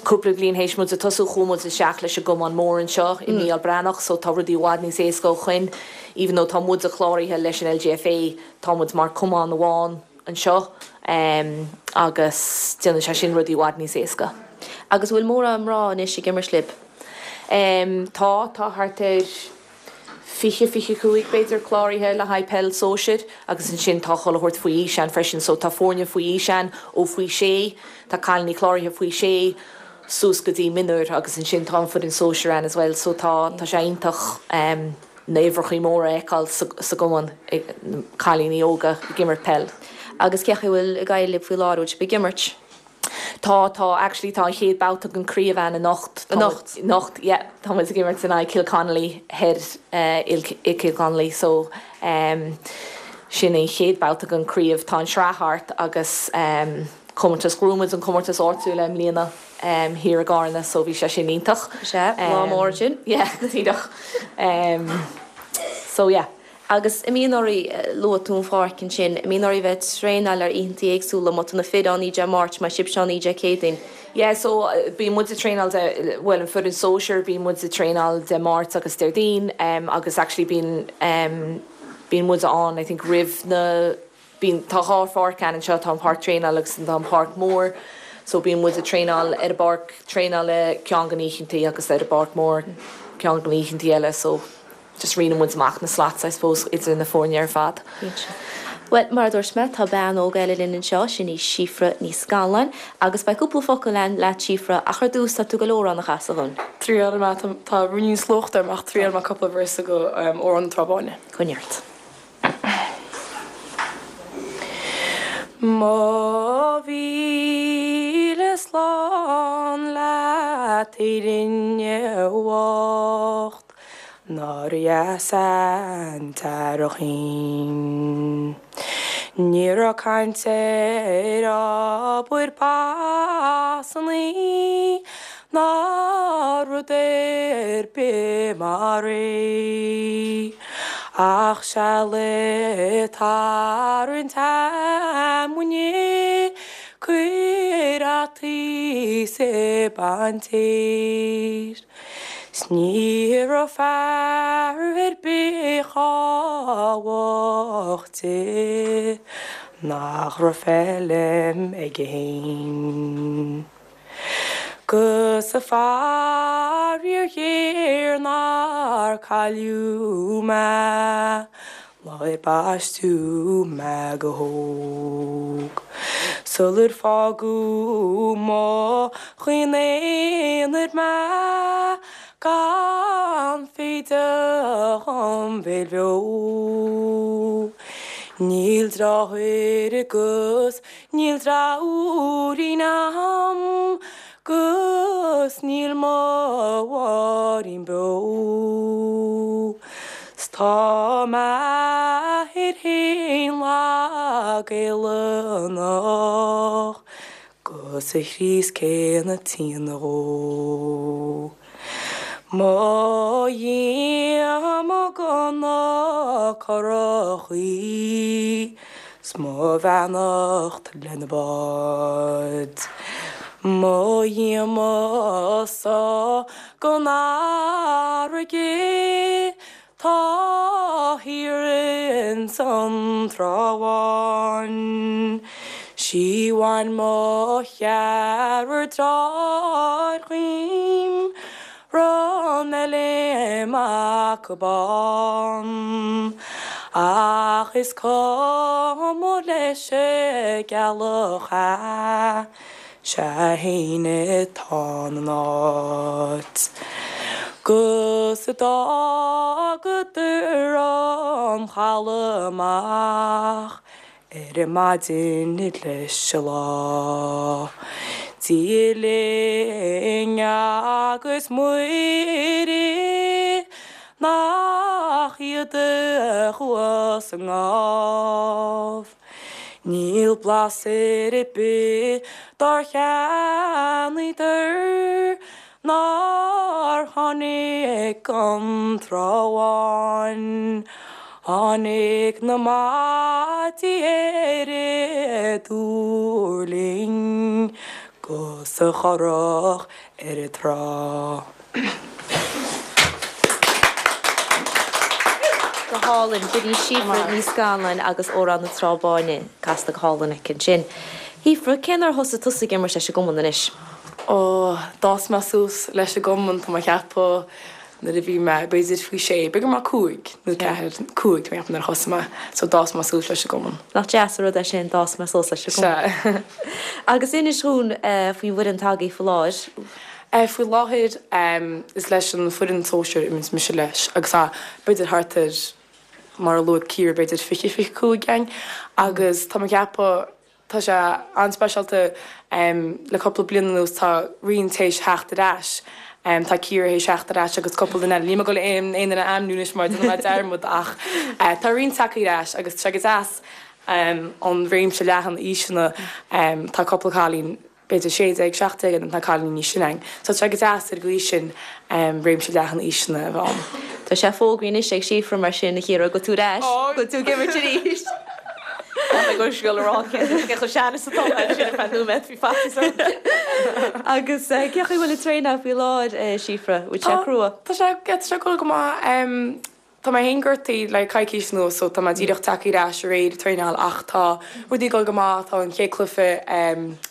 Cúpla bliain théis muid a tosú chuaigh muid isteach leis an gcumann mór anseo i Mícheál Breathnach so tá rudaí i bhfad níos éasca ó shoin. Even though tá muide cláraithe leis an LGFA tá muid mar cumann amháin anseo agus déanann sé sin rudaí i bhfad níos éasca. Agus bhfuil mórán mná anois ag imirt libh? Tá, tá thart ar. fiche, fiche cúig b'fhéidir cláraithe le haghaidh peil sóisir agus ansin tá chuile shórt faoi aois ann freisin so tá foirne faoi aois ann ó faoi sé, tá cailíní cláraithe faoi sé suas go dtí mionúir agus ansin tá an foireann sóisir ann as well so tá tá sé iontach na huimhreachaí móra a fheiceáil sa sa gcumann cailíní óga ag imirt peil. Agus cé chaoi a bhfuil ag éirí libh faoi láthair, bhfuil sibh ag imirt? Tá, tá, actually tá an chéad babhta den craobh ann anocht. Anocht? Anocht, yeah. Tá muid ag imirt in aghaidh Kilconly thoir i Kilconly so sin an chéad babhta den craobh. Tá an sraith thart agus comórtas, ghnóthaigh muid an comórtas áitiúil i mbliana thiar i gCarna so bhí sé sin iontach. Sea, lá mór sin. Yeah, go díreach. So yeah. Agus an mbíonn oraibh, luaigh tú an pháirc ansin, an mbíonn oraibh bheith ag traenáil ar oícheantaí éagsúla, má tá na fir ann Dé Máirt, má tá sibhse ann Dé Céadaoin? Yeah, so bíonn muid ag traenáil de, bhuel an foireann sóisir, bíonn muid ag traenáil Dé Máirt agus Déardaoin agus actually bíonn, bíonn muid ann I think roimh na, Bíonn, tá dhá pháirc ann anseo, tá an páirc traenála agus tá an páirc mór. So bíonn muid ag traenáil ar an bpáirc traenála ceann de na hoícheantaí agus ar an bpáirc mór ceann de na hoícheantaí eile so just roinneann muid amach na slots I suppose idir na foirne ar fad. Well mar dúirt mé tá bean óg eile linn anseo sin í Síofra Ní Scanláin agus beidh cúpla focal againn leat Síofra ach ar dtús tá tú ag dul amhrán a chasadh dúinn. Triail mé tá ruainnín slóchta amach triail mé cúpla véarsa go um, Amhrán na Trá Báine. Coinnigh ort. Mo mhíle slán leat Éirinn bhocht Nár dheas an t-earrach thinn. Ní raibh caint ar obair pasannaí ná rud ar bith mar é. Ach seal ag tarraingt fheamainne, cuir fhataí 's ag baint féir. 'S ní raibh fear ar bith chomh bocht di nach raibh feilm aige fhéin. 'Gus a faraor ghéar nár cailleadh mé lá ar baisteadh mé go hóg. Sular fágadh mo chaoin aonair mé gan foighde dhom bhéil bheo. Níl deartháir agus níl deartháirín a'm 'gus níl mo mháithrín beo. 'S tá m'athair fhéin lag éalannach 'gus a Chríost céanna tinn dhó. Mo dhíoma go na curachaí 's mo bheannacht lena bád. Mo dhíoma-sa gon fharraige tá thiar ins an Trá Bháin. 'Sí bhain mo cheathrar deartháir dhíom, Run eile mac bán. Ach is cuma leis an gceallach é, 'sé fhéin atá ina áit. 'Gus d'fhágadar an chaladh amach ar maidin leis an lá. Dia linn agus Muire nach iad a chuas i ngábh. Níl blas ar bith dár cheannaíodar nár tháinig gon Trá Bháin. Tháinig na maidí ar an dtuirling 'gus an churach ar an trá. Go hálainn, b'in í Síofra Ní Scanláin agus Amhrán na Trá Báine casta go hálainn aici ansin. Shíofra, cén uair a thosaigh tusa ag imirt leis an gcumann anois? Ó, d'fhás mé suas leis an gcumann, tá mé ag ceapadh nuair a bhí mé b'fhéidir faoi sé, b'fhéidir go raibh mé cúig nó ceathair, cúig tá mé ag ceapadh nuair a thosaigh mé, so d'fhás mé suas leis an gcumann. Nach deas an rud é sin, d'fhás mé suas leis an gcumann. Sea. Agus inis dhúinn faoin bhfoireann atá agaibh faoi láthair. Faoi láthair is leis an foireann sóisir a imríonn mise leis agus tá b'fhéidir thart ar, mar a luaigh Ciara, b'fhéidir fiche, fiche cúig againn agus tá mé ag ceapadh Tá sé an-speisialta. Le cúpla bliain anuas tá roinnt théis theacht ar ais. Tá Ciara théis theacht ar ais agus cúpla duine eile. Níl mé ag dul aon duine a ainmniú anois mar déanfaidh mé dearmad ach tá roinnt tagtha ar ais agus tá sé go deas an réimse leathan aoiseanna. Tá cúpla cailín b'fhéidir sé déag, seacht déag agus tá cailíní níos sine againn. So tá sé go deas ar an gcaoi sin réimse leathan aoiseanna a bheith ann. Tá sé fógraithe anois ag Síofra mar sin, a Chiara, go bhfuil tú ar ais, go bhfuil tú ag imirt arís. Tá mé ag dul a rá cé chomh sean is atá mé sin ar feadh nóiméad, bhí faitíos orm. Agus cén chaoi a bhfuil an traenáil faoi láthair, Síofra? Bhfuil sé crua? Tá sé, tá sé ag dul go maith. Tá mé féin gortaithe le coicís anuas so tá mé díreach tagtha ar ais aréir ag traenáil ach tá rudaí ag dul go maith, tá an chéad cluiche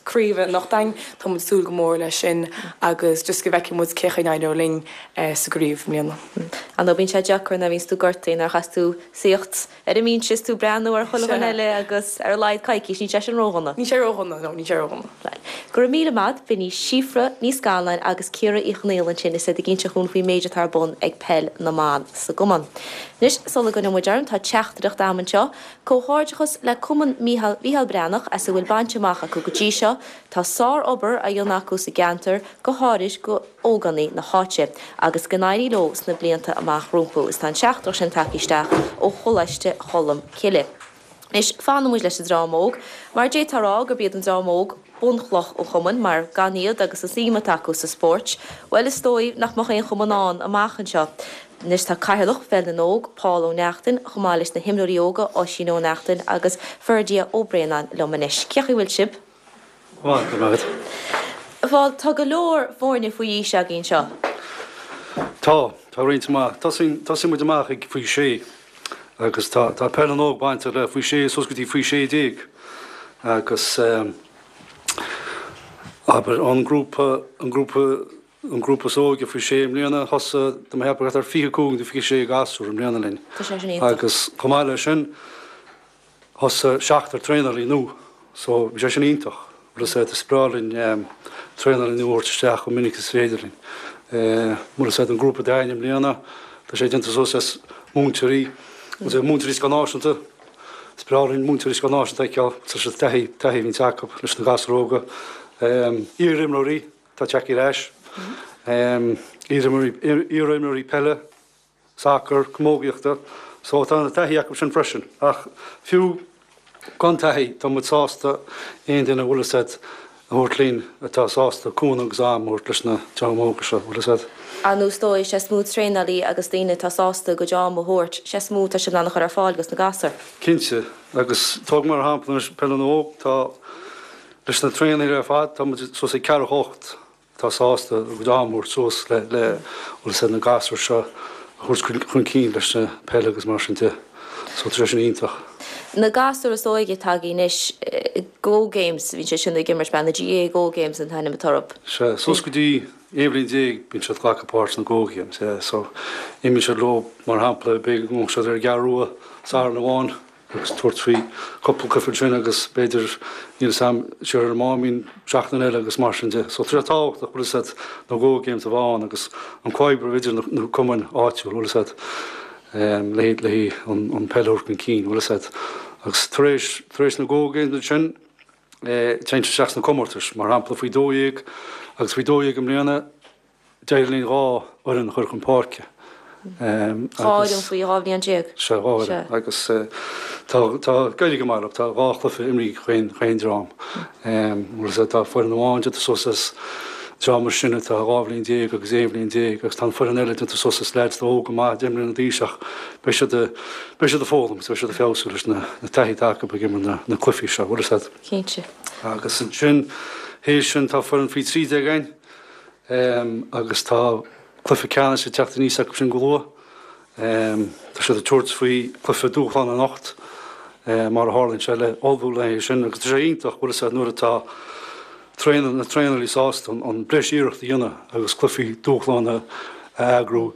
craoibhe anocht againn, tá muid ag súil go mór leis sin agus just go bhfeicfidh muid cén chaoi a n-éireoidh linn sa gcraobh i mbliana. Ar ndóigh bíonn sé deacair nuair a bhíonns tú gortaithe nuair a chaithfeas tú suíocht ar an mbinse is tú ag breathnú ar chuile dhuine eile agus ar a laghad coicís, níl sé sin ródhona. Níl sé ródhona, no, níl sé ródhona. Bhuel, go raibh míle maith, b'in í Síofra Ní Scanláin agus Ciara Uí Chonaill ansin is iad ag inse dhúinn faoin méid atá ar bun ag Peil na mBan sa gcumann. Anois, sula gcoinneoidh muid orm, tá teachtaireacht a'm anseo. Comhghairdeachas le Cumann Mícheál Mhícheál Breathnach as a bhfuil bainte amach acu go dtí seo. Tá sár-obair á dhéanamh acu sa gceantar, go háirid go ógánaigh na háite, agus go n-éirí leo sna blianta amach rompu. Is tá an teachtaireacht sin tagtha isteach ó Choláiste Cholm Cille. Anois, fanann muid leis an dream óg, mar d'fhéadfá a rá gurb iad an dream óg bunchloch an chumainn, mar gan iad agus an suim atá acu sa spórt, bhuel, is dóigh nach mbeadh aon chumann ann amach anseo. Anois tá Cathaoirleach Pheil na nÓg, Paul Ó Neachtain, chomh maith leis na himreoirí óga, Oisín Ó Neachtain agus Ferdia Ó Braonáin liom anois. Cén chaoi a bhfuil sibh? Maith, go raibh maith agat. Bhuel, tá go leor foirne faoi aois againn anseo. Tá, tá roinnt mhaith. Tosaíonn, tosaíonn muid amach ag faoi sé agus tá, tá Peil na nÓg bainteach le faoi sé suas go dtí faoi sé déag agus eh, abair an grúpa, an grúpa, an grúpa is óige faoi sé i mbliana thosaigh, tá mé ag ceapadh thart ar fiche cúig nó fiche sé gasúr i mbliana linn. Tá sé sin iontach. Agus chomh maith leis sin, Thosaigh seachtar traenálaí nua so bhí sé sin iontach. Bhfuil fhios agat, is breá linn traenálaí nua a thabhairt isteach chomh minic is féidir linn. Bhfuil fhios agat, an grúpa atá againn i mbliana, tá sé déanta suas as múinteoirí, múinteoirí Scoil Náisiúnta, is breá linn múinteoirí Scoil Náisiúnta a fheiceáil, tá siad taithí, taithí a bhíonns acu leis na gasúir óga. Iar-imreoirí atá tagtha ar ais, iar-imreoirí, iar-imreoirí peile, sacar, camógaíochta, so tá an taithí acu sin freisin. Ach fiú gan taithí, tá muid sásta aon duine a bhfuil fhios agat a thabhairt linn atá sásta cúnamh agus am a thabhairt leis na dream óga seo, bhfuil fhios agat. Ar ndóigh is dóigh, sé is mó traenálaí agus daoine atá sásta a gcuid am a thabhairt, sé is mó atá sibh in ann a chur ar fáil dos na gasúir. Cinnte, agus tóg mar shampla anois Peil na nÓg, tá leis na traenálaithe ar fad, tá muid suas ag ceathracha hocht atá sásta a gcuid am a thabhairt suas le le bhfuil fhios agat na gasúir seo a thabhairt chun cinn leis na peile agus mar sin de. So tá sé sin iontach. Na gasúir is óige atá againn anois, Go Games, bíonn siad sin ag imirt, b'ea, na GAA Go Games an t-ainm atá orthu. Sea, suas go dtí aon bhliain déag bíonn siad ag glacadh páirt sna Go Games, yeah. So imíonn siad leo mar shampla b'fhéidir go ngabhfaidh siad ar an gCeathrú Rua Satharn amháin, agus tabhairt faoi cúpla cluiche ansin agus b'fhéidir níl fhios a'm siar ar an Máimín seachtain eile agus mar sin de. So tá sé tábhachtach bhfuil fhios agat na Go Games a bheith ann agus an comhoibriú idir na cumainn áitiúil bhfuil fhios agat le le an an peil a thabhairt chun cinn bhfuil fhios agat. Agus tar éis tar éis na Go Games ansin téann siad isteach sna comórtais mar shampla faoi dó dhéag agus faoi dó dhéag i mbliana D'éirigh linn dhá fhoireann a chur chun páirce. Dhá fhoireann faoi dhá bhliain déag. Sea, dhá fhoireann. Agus tá, tá, ag éirí go maith leo. Tá dhá chluiche imrithe ag chaon dream. Bhfuil fhios agat, tá foireann amháin déanta suas as dream mar sin atá dhá bhliain déag agus aon bhliain déag agus tá an foireann eile déanta suas as leaids atá óg go maith, deich mbliana d'aois ach beidh siad, beidh siad ag foghlaim agus beidh siad ag feabhsú leis na, na taithí atá acu ag imirt na, na cluichí seo, bhfuil fhios agat. Cinnte. Agus ansin, théis sin tá foireann faoi trí déag againn. Agus tá cluiche ceannais ag teacht aníos acu sin go luath. Tá siad ag tabhairt faoi chluiche dúshlán anocht, mar a tharlaíonn sé, le ullmhú le haghaidh sin. Agus tá sé iontach, bhfuil fhios agat, nuair atá traenáil, na traenálaí sásta an breis iarracht a dhéanamh agus cluichí dúshlán a eagrú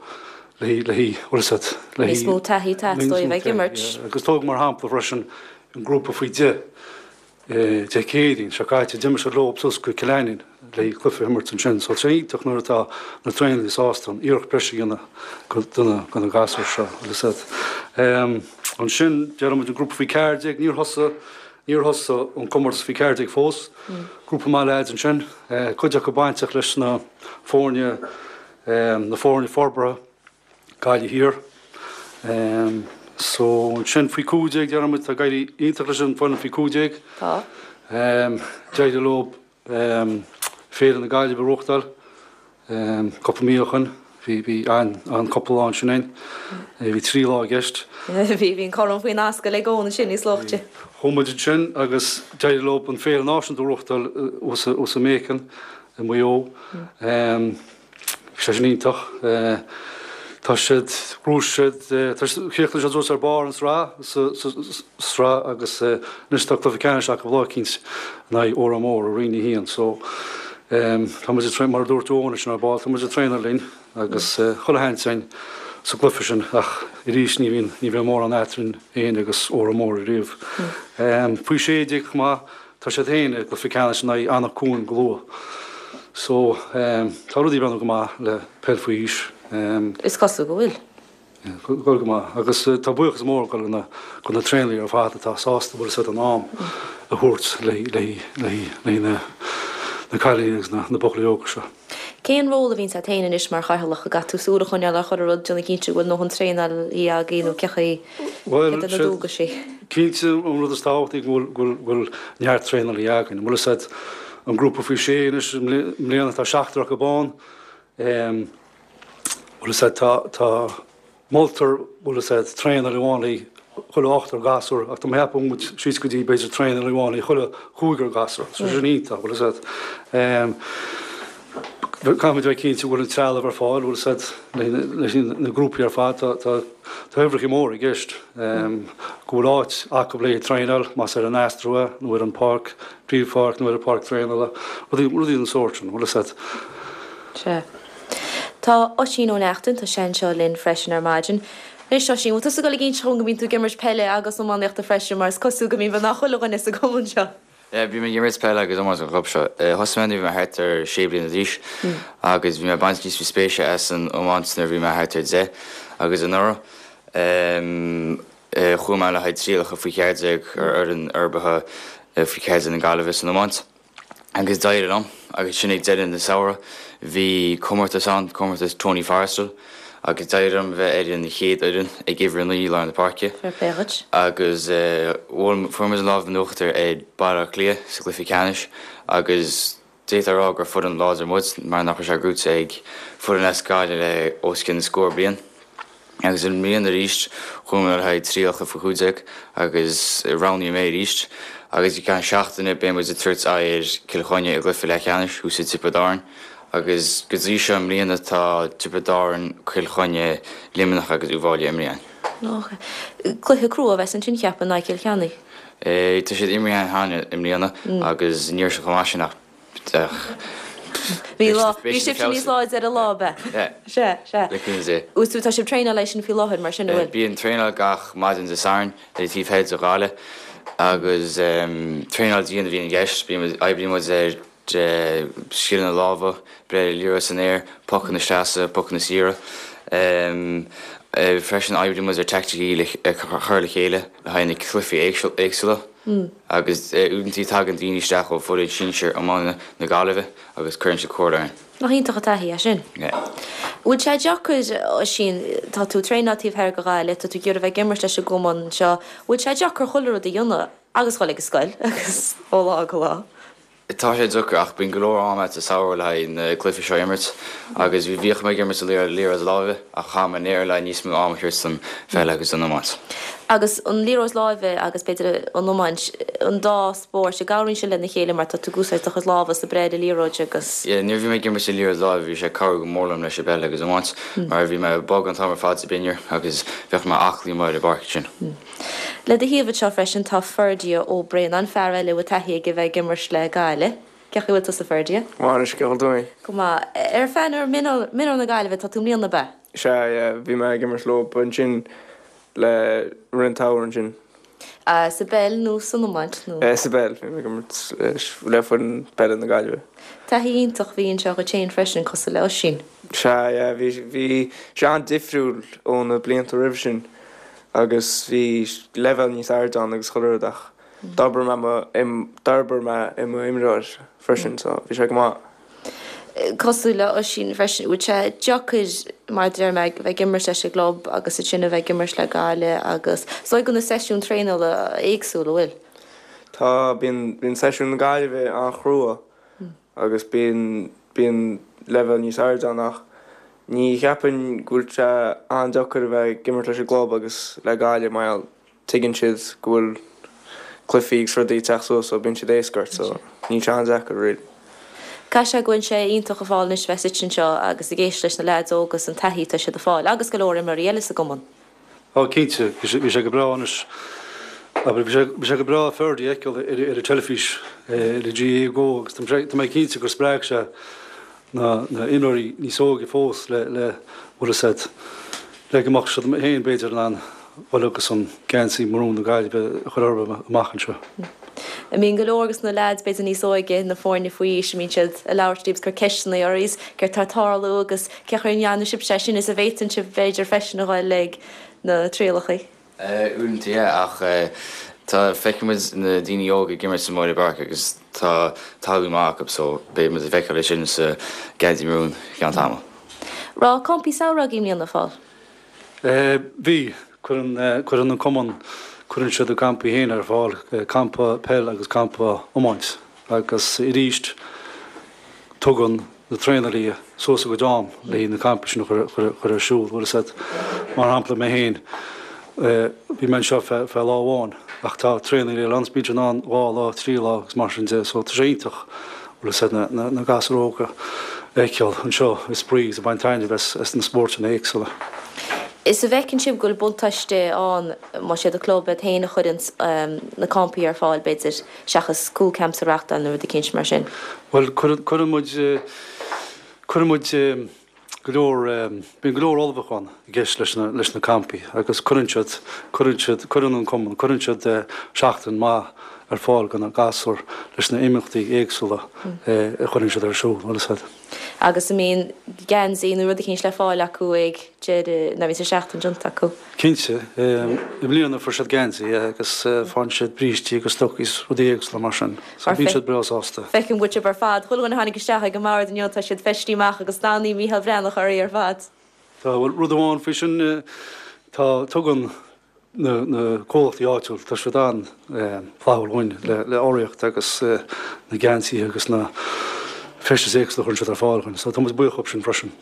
le le bhfuil fhios agat, le Níos mó taithí atá dóibh ag imirt. Agus tóg mar shampla freisin an grúpa faoi deich. Dé Céadaoin seo caite, d'imir siad leo suas go Cill Ainnín le cluiche a imirt ansin. So tá sé iontach nuair atá na traenálaithe sásta an iarracht breise a dhéanamh do na gasúir seo, bhfuil fhios agat. Ansin, déarfaidh muid an grúpa faoi ceathair déag, níor thosaigh, níor thosaigh an comórtas faoi ceathair déag fós. Grúpa maith leaids ansin, cuid acu bainteach leis na foirne, na foirne forbartha. Gaillimh Thiar. So ansin faoi cúig déag déarfaidh muid, tá ag éirí iontach leis an bhfoireann faoi cúig déag. Tá. D'éirigh leo Féile na Gaillimhe a reáchtáil cúpla mí ó shoin. Bhí bhí an-chúpla lá ansin againn. Bhí trí lá i gceist. Bhí bhí an corn faoin ascaill ag Eoin ansin níos luaithe. Chuaigh muid ansin agus d'éirigh leo an Féile Náisiúnta a reáchtáil thuas i Macon i Maigh Eo. Bhí sé sin iontach. Tá siad, ghnóthaigh siad, tá siad, chríochnaigh siad suas ar barr an sraith, sa, sa, sraith agus anois tá cluiche ceannais acu lá eicínt in aghaidh Órán Mór i Roinn a haon. So, tá muid ag traenáil, mar a dúirt Eoin ansin ar ball, tá muid ag traenáil linn agus chuile sheans againn sa gcluiche sin ach arís ní bhíonn, ní bhíonn mórán eadrainn féin agus Órán Mór ariamh. Faoi sé déag chomh maith, Tá siad féin i gcluiche ceannais in aghaidh Anach Cuain go luath. So, tá rudaí ag breathnú go maith le peil faoi aois. Is cosúil go bhfuil. Ag dul go maith. Agus tá buíochas mór ag dul go na traenálaithe ar fad atá sásta bhfuil a fhios agat an am a thabhairt le na na cailíní agus na buachaillí óga seo. Cén ról a bhíonns agat féin anois mar chathaoirleach? An gcaithfidh tú súil a choinneáil ar chuile rud, déanamh cinnte go bhfuil a ndóthain traenálaí agaibh nó cé chaoi, Bhuel, céard é na dualgaisí? Cinnte an rud is tábhachtaí go bhfuil go bhfuil neart traenálaí againn. An bhfuil a fhios agat an grúpa faoi sé anois i mbliana tá seachtar acu ann. Bhfuil a fhios agat tá tá moltar bhfuil a fhios agat traenálaí amháin le chuile ochtar gasúr ach tá mé ag ceapadh muid síos go dtí b'fhéidir traenálaí amháin le chuile chúigear gasúr. So sin iontach bhfuil a fhios agat. Caithfimid a bheith cinnte go bhfuil an trealamh ar fáil, bhfuil a fhios agat, leis na grúpaí ar fad, tá tá uimhreacha móra i gceist, go bhfuil áit acu le traenáil, más ar an Astro é nó ar an pháirc, príomhpháirc nó ar an pháirc traenála, rudaí rudaí den sórt sin, bhfuil a fhios agat. Sea. Tá Oisín Ó Neachtain, tá sé anseo linn freisin ar maidin. Anois Oisín, bhfuil tusa ag dul ag inse dhom go mbíonn tú ag imirt peile agus iománaíochta freisin mar is cosúil go mbíonn beagnach chuile dhuine sa gcumann seo. Yeah, bím ag imirt peile agus iomáint don chlub seo. Thosaigh mé nuair a bhí mé thart ar sé bliana d'aois agus bhí mé ag baint níos mó spéise as an iomáint nuair a bhí mé thart ar deich agus anuraidh chuaigh mé le haghaidh trialacha faoi cheathair déag ar fhoireann forbartha faoi cheathair déag na Gaillimhe san iomáint agus d'éirigh liom agus sin ag deireadh na samhradh bhí comórtas ann, comórtas Tony Forristal. Agus d'éirigh liom bheith ar an chéad fhoireann ag uimhir a naoi i lár na páirce. Fair play dhuit. Agus bhuail, fuair muid an lámh in uachtar ar Baile Átha Cliath sa gcluiche ceannais agus d'fhéadfá a rá gur foireann láidir muid mar nach raibh sé gnóite ag foireann as Gaillimh le os cionn scór bliain. Agus i mbliana arís chuaigh mé le haghaidh trialacha faoi chúig déag agus roghnaíodh mé arís agus i gceann seachtaine beidh muid ag tabhairt aghaidh ar Cill Chainnigh i gcluiche leathcheannais thuas i dTiobraid Árann. Agus go dtí seo i mbliana tá Tiobraid Árann, Cill Chainnigh, Luimneach agus Uíbh Fhailí imeartha againn. Cluiche crua a bheas ansin cheapfainn in aghaidh Chill Chainnigh. Tá siad imeartha cheana i mbliana agus ní raibh siad chomh maith sin ach Bhí lá, bhí sibhse níos láidre ar an lá, ab ea? Sea, sea. Le cúnamh Dé. Agus tú, tá sibh traenáil leis sin faoi láthair mar sin, an bhfuil? Bíonn traenáil gach maidin Dé Sathairn ar an taobh thoir de Ghaillimh agus traenáil dian a bhíonn i gceist. Bíonn muid, oibríonn muid ar scileanna láimhe, breith liathróid san aer, pocanna seasta, pocanna saora. Freisin oibríonn muid ar teaicticí le chur le chéile le haghaidh na cluichí éagsúla agus uaireanta tagann daoine isteach ó foireann sinsir iomána na Gaillimhe agus cuireann siad comhairle orainn. Nach iontach an taithí é sin? Bhfuil sé deacair, Oisín, tá tú ag traenáil taobh thoir de Ghaillimh, tá tú ag iarraidh bheith ag imirt leis an gcumann anseo, bhfuil sé deacair chuile rud a dhéanamh agus dhul ag an scoil agus ó lá go lá? Tá sé deacair ach bíonn go leor ama sa samhradh le haghaidh na cluichí seo a imirt agus bhí bhíodh mé ag imirt an liathróid láimhe ach chaith mé an aer le níos mó ama a thabhairt don pheil agus don iomáint. Agus an liathróid láimhe agus b'fhéidir an iomáint, an dá spórt, an gcabhraíonn siad lena chéile mar tá tú ag úsáid do chuid lámha sa breith ar an liathróid agus. Yeah, nuair a bhí mé ag imirt an liathróid láimhe bhí sé ag cabhrú go mór liom leis an bpeil agus iomáint mar bhí mé bog an t-am ar fad sa binnear agus bheadh mé aclaí amuigh ar an bpáirc ansin. Le do thaobh anseo freisin tá Ferdia Ó Braonáin, fear eile a bhfuil taithí aige bheith ag imirt le Gaillimh. Cén chaoi a bhfuil tusa Ferdia? Go maith anois, cén chaoi a bhfuil tú féin? Go maith. Ar phainéal mionúir na Gaillimhe atá tú i mbliana, ab ea? Sea, yeah, bhí mé ag imirt leo ansin le roinnt am ansin. Sa bpeil nó san iomáint nó? Sa bpeil, bhí mé ag imirt le foireann peile na Gaillimhe. Taithí iontach a bhí anseo dhuit féin freisin, cosúil le Oisín. Sea, yeah, bhí, bhí sé an-difriúil ó na blianta roimhe sin. agus bhí leibhéal níos airde ann agus chuile rud ach d'fhorbair mé mo, d'fhorbair mé i mo imreoir freisin so bhí sé go maith. Cosúil le Oisín freisin, bhfuil sé deacair mar a deir mé bheith ag imirt leis an gclub agus ansin a bheith ag imirt le Gaillimh agus is dóigh go bhfuil na seisiúin traenála éagsúil, an bhfuil? Tá, bíonn, bíonn seisiún na Gaillimhe an-chrua agus bíonn, bíonn leibhéal níos airde ann ach ní cheapaim go bhfuil sé an-deacair a bheith ag imirt leis an gclub agus le Gaillimh mar gheall tuigeann siad go bhfuil cluichí agus rudaí ag teacht suas so bíonn siad éasca ort so níl sé an-deacair really. Caithfidh sé go bhfuil sé iontach a Phóil anois bheith suite anseo agus ag éisteacht leis na leaids óga is an taithí atá siad a fáil agus go leor imreoirí eile sa gcumann. Á cinnte, bhí sé go breá anois. Abair, bhí sé bhí sé go breá Ferdy a fheiceáil ar ar an teilifís le GAA Go agus tá tá mé cinnte gur spreag sé na na imreoirí níos óige fós le le bhfuil a fhios agat le go mbeadh siad féin b'fhéidir in ann dul agus an geansaí marún na Gaillimhe a chur orthu amach anseo. An mbíonn go leor de na leaids b'fhéidir níos óige, na foirne faoi aois, an mbíonn siad ag labhairt libh is ag cur ceisteanna oraibh is céard tá ag tarlú agus cén chaoi a ndearna sibhse é sin is an bhféadann sibh b'fhéidir freisin a dhul ag na trialacha? Uaireanta yeah ach tá feiceann muid na daoine óga ag imirt amuigh ar an bpáirc agus tá tallann maith acu so beidh muid ag feiceáil é sin sa geansaí marún i gceann tamaill. Raibh campaí samhraidh agaibh i mbliana, a Phóil? Bhí. Cuireann cuireann an cumann cuireann siad a gcampaí féin ar fáil, campa peil agus campa iomáint agus arís tugann na traenálaithe suas a gcuid am le na campaí sin a chur ar siúl. Bhfuil a fhios agat, mar shampla mé féin, bhí mé anseo feadh lá amháin ach tá traenálaithe eile ann, bíonn siad ann dhá lá, trí lá agus mar sin de so tá sé iontach, bhfuil a fhios agat, na gasúir óga a fheiceáil anseo ag spraoi agus ag baint taitneamh as na spórtanna éagsúla. Is an bhfeiceann sibh go bhfuil buntáiste ann más iad an club iad féin a chuireann na campaí ar fáil, b'fhéidir, seachas school camps a reachtáil nó rud eicínt mar sin? Bhuel, cuireann muid, cuireann muid go leor, bíonn go leor ullmhúchán i gceist leis na, leis na campaí agus cuireann siad, cuireann siad, cuireann an cumann, cuireann siad seachtain maith ar fáil do na gasúir leis na imeachtaí éagsúla a chuireann siad ar siúl, bhfuil a fhios agat. Agus an mbíonn geansaí nó rud eicínt le fáil acu ag deireadh, nuair a bhíonns an seachtain déanta acu? Cinnte. I mbliana fuair siad geansaí agus faigheann siad brístí agus stocaí is rudaí éagsúla mar sin. So bíonn siad breá sásta. Feicim go bhfuil sibh ar fad, chuile dhuine a tháinig isteach ag an mbord inniu, tá siad feistithe amach agus dathannaí Mícheál Breathnach orthu ar fad. Tá, bhuel rud amháin faoi sin, tá, tugann na comhlachtaí áitiúil, tá siad an-fhlaithiúil dhúinn le urraíocht agus na geansaithe agus na feistis éagsúla a chuireann siad ar fáil dhúinn. So tá muid buíoch dhóibh sin freisin.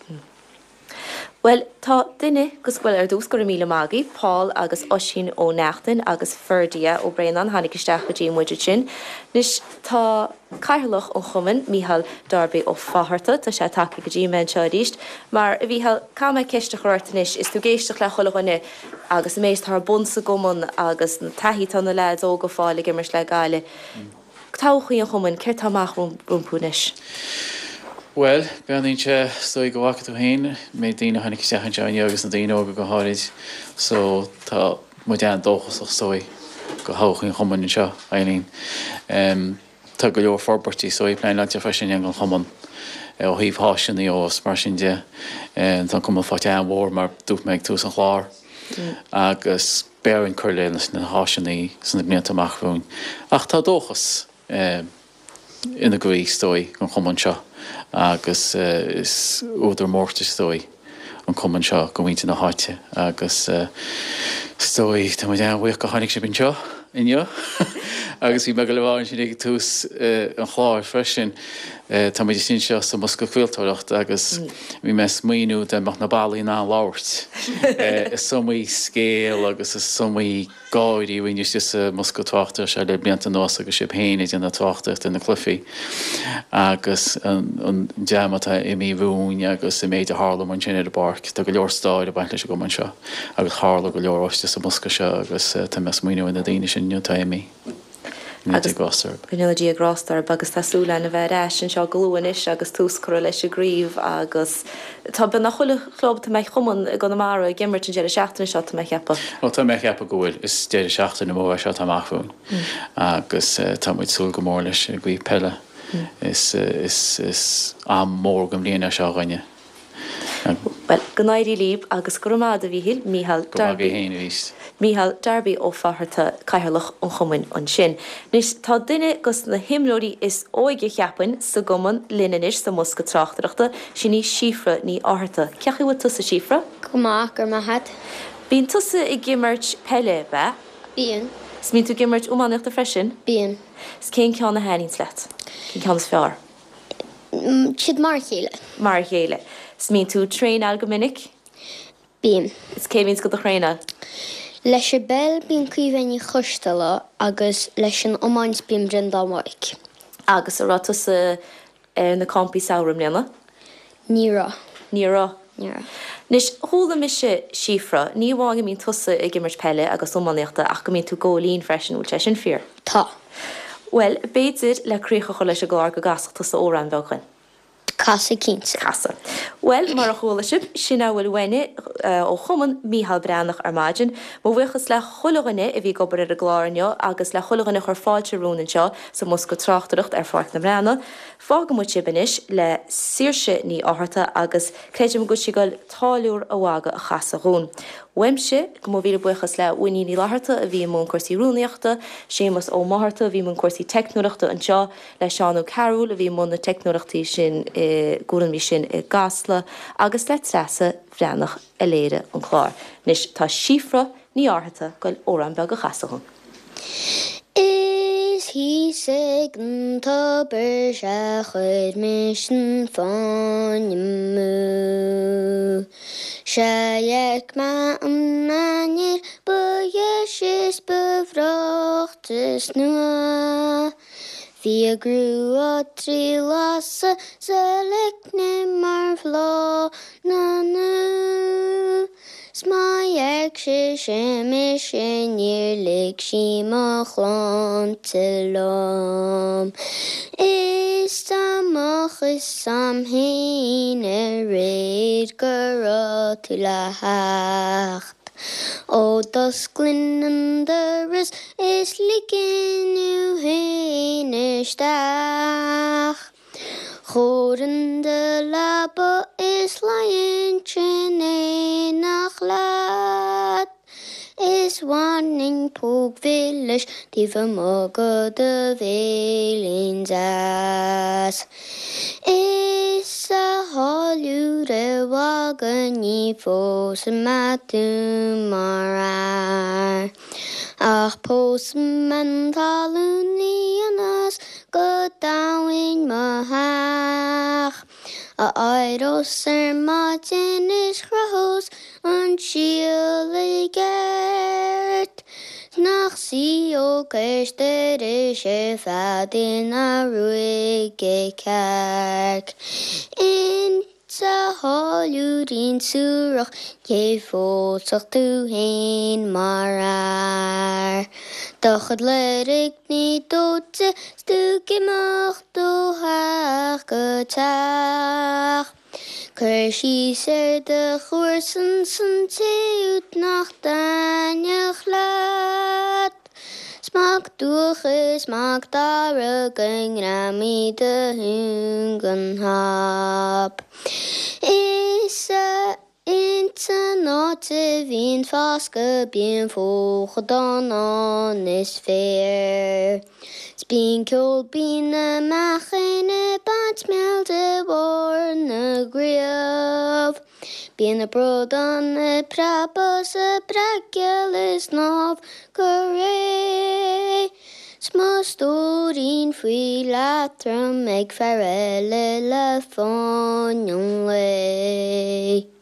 Bhuel, tá duine gus, bhuel, ar dtús, go raibh míle maith agaibh, Paul agus Oisín Ó Neachtain agus Ferdia Ó Braonáin, tháinig isteach go dtí muid ansin. Anois, tá Cathaoirleach an Chumainn, Mícheál Darby Ó Fátharta, tá sé tagtha go dtí mé anseo arís. Mar, a Mhícheáil, caithfidh mé ceist a chur ort anois, is tú ag éisteacht le chuile dhuine agus an méid atá ar bun sa gcumann agus na taithí atá na leaids óga ag fáil ag imirt le Gaillimh. Todhchaí an chumainn, céard tá amach rompu anois? Bhuel, breathnaíonn sé, is dóigh go bhfaca tú féin, an méid daoine a tháinig isteach anseo inniu agus na daoine óga go háirid, so tá muid an-dóchasach is dóigh go thodhchaí an chumainn anseo, Eileen. Tá go leor forbairtí is dóigh pleanáilte freisin ag an chumann ó thaobh háiseanna agus mar sin de. Tá an cumann faighte an-mhór mar dúirt mé ag tús an chláir agus beidh orainn cur leis na háiseanna sna blianta amach romhainn. Ach tá dóchas ina gcroí is dóigh don chumann seo agus is údar mórtais is dóigh an cumann seo do mhuintir na háite agus is dóigh tá muid an-bhuíoch go tháinig sibh anseo inniu agus bhí mé ag dul a rá ansin ag tús an chláir freisin tá muid istigh anseo sa mbosca craoltóireachta agus bhí mé ag smaoineamh dá mbeadh na ballaí in ann labhairt is iomaí scéal agus is iomaí gáirí a rinneadh istigh sa mbosca tráchtaireachta seo le blianta anuas agus sibh féin ag déanamh tráchtaireachta ar na cluichí agus an dream atá imithe romhainn agus an méid a tharla ansin ar an bpáirc. Tá go leor stair ag baint leis an gcumann seo agus tharla go leor istigh sa mbosca seo agus tá mé ag smaoineamh ar na daoine sin inniu atá imithe. Go ndéana Dia grásta orthu. Go ndéana Dia grásta orthu agus tá súil againn a bheith ar ais anseo go luath anois agus tús curtha leis an gcraobh agus tá beagnach chuile chlub, tá mé, chumann i gConamara ag imirt an deireadh seachtaine seo, tá mé ag ceapadh. Ó tá mé ag ceapadh go bhfuil. Is deireadh seachtaine mór é seo atá amach romhainn agus tá muid ag súil go mór leis an gcraobh peile. Is, is, is am mór den bhliain é seo dhúinne. Bhuel, go n-éirí libh agus go raibh maith agat a Mhíchíl, Mícheál Go raibh maith Darby. agat féin arís. Mícheál Darby Ó Fátharta, Cathaoirleach an Chumainn ansin. Anois, tá duine dos na himreoirí is óige, cheapfainn, sa gcumann linn anois sa mbosca tráchtaireachta, sin í Síofra Ní Fhátharta. Cén chaoi a bhfuil tusa, Síofra? Go maith, go raibh maith agat. Bíonn tusa ag imirt peile, ab ea? Bíonn. 'S mbíonn tú ag imirt iománaíochta freisin? Bíonn. 'S cén ceann a thaitníonns leat? Cén ceann is fearr? Siad mar a chéile. Mar a chéile. 'S mbíonn tú ag traenáil go minic? Bíonn. 'S cé bhíonns do do thraenáil? Leis an bpeil bíonn Caoimhe Ní Choisteala agus leis an iomáint bíonn Breandán Mhaidhc. Agus an raibh tusa ar na campaí samhraidh i mbliana? Ní raibh. Ní raibh. Ní raibh. Anois, chuala mise, Síofra, ní amháin go mbíonn tusa ag imirt peile agus iománaíochta ach go mbíonn tú góilín freisin, bhfuil sé sin fíor? Tá. Bhuel, b'fhéidir le críoch a chur leis an gclár go gcasfadh tusa amhrán beag dhúinn. Casfaidh cinnte. Casfaidh. Bhuel, mar a chuala sibh, sin a bhfuil uainne ó Chumann Mícheál Breathnach ar maidin. Mo bhuíochas le chuile dhuine a bhí ag obair ar an gclár inniu agus le chuile dhuine a chuir fáilte romhainn anseo sa mbosca tráchtaireacht ar Pháirc na mBreathnach. Fágann muid sibh anois le Saoirse Ní Fhátharta agus creidim go bhfuil sí ag goil Táilliúir a' Mhagaidh a chasadh dhúinn. Uaimse, go mo mhíle buíochas le Winnie Ní Fhlatharta a bhí i mbun cúrsaí rúnaíochta, Séamus Ó Mátharta a bhí i mbun cúrsaí teicneolaíochta anseo, le Seán Ó Cearúil a bhí i mbun na teicneolaíochtaí sin i gcúraimí sin i gCasla agus le Treasa Bhreathnach a léirigh an clár. Anois tá Síofra Ní Fhátharta ag goil amhrán beag a chasadh dhúinn. Is thíos ag an tobar sea chuir mise an fáinne amú. Sea fheic mé an ainnir ba dheise is ba bhreoichte is nua. Bhí a grua trí lasadh 's a leicne mar bhláth na ndú. 'S má fheic sise mise níor lig sí mo shláinte liom. Is dá mbeadh fhios a'm fhéin aréir go raibh tú le theacht. Ó d'osclainn an doras is ligfinn thú fhéin isteach. Chuirfinn do leaba is luífinn in éineacht leat. Is bhainfinn póg mhilis taobh amuigh go do bhéilín deas. Is a tháilliúir a mhagaidh ní phósfaidh mé tú mar fhear. Ach pósfaidh mé an talúnaí ionas go dtoghfainn mo theach. A éireos ar maidin is chruthós an síol i gceart. 'S nach suíodh cois dorais ar feadh ina ruaige cearc. Insa tháilliúirín suarach cé phósfadh tú fhéin mar fhear. Do chuid loirgní dóite 's tú ag imeacht ó theach go teach. Cuir síos ar do chomharsain 's an té úd nach dtaitneodh leat. 'S Mac Duach is Mac Dara go ngreamaí do thung an hap. Is a ins an áit a bhíonn foscadh bíonn folcadán ann is féar. 'S bíonn ceol binn na meachain ag baint mil de bharr na gcraobh. Bíonn na bradáin ag preabadh 's ag breacadh le snámh go réidh. 'S mo stóirín faoi leatrom ag fear eile le fáinne an lae.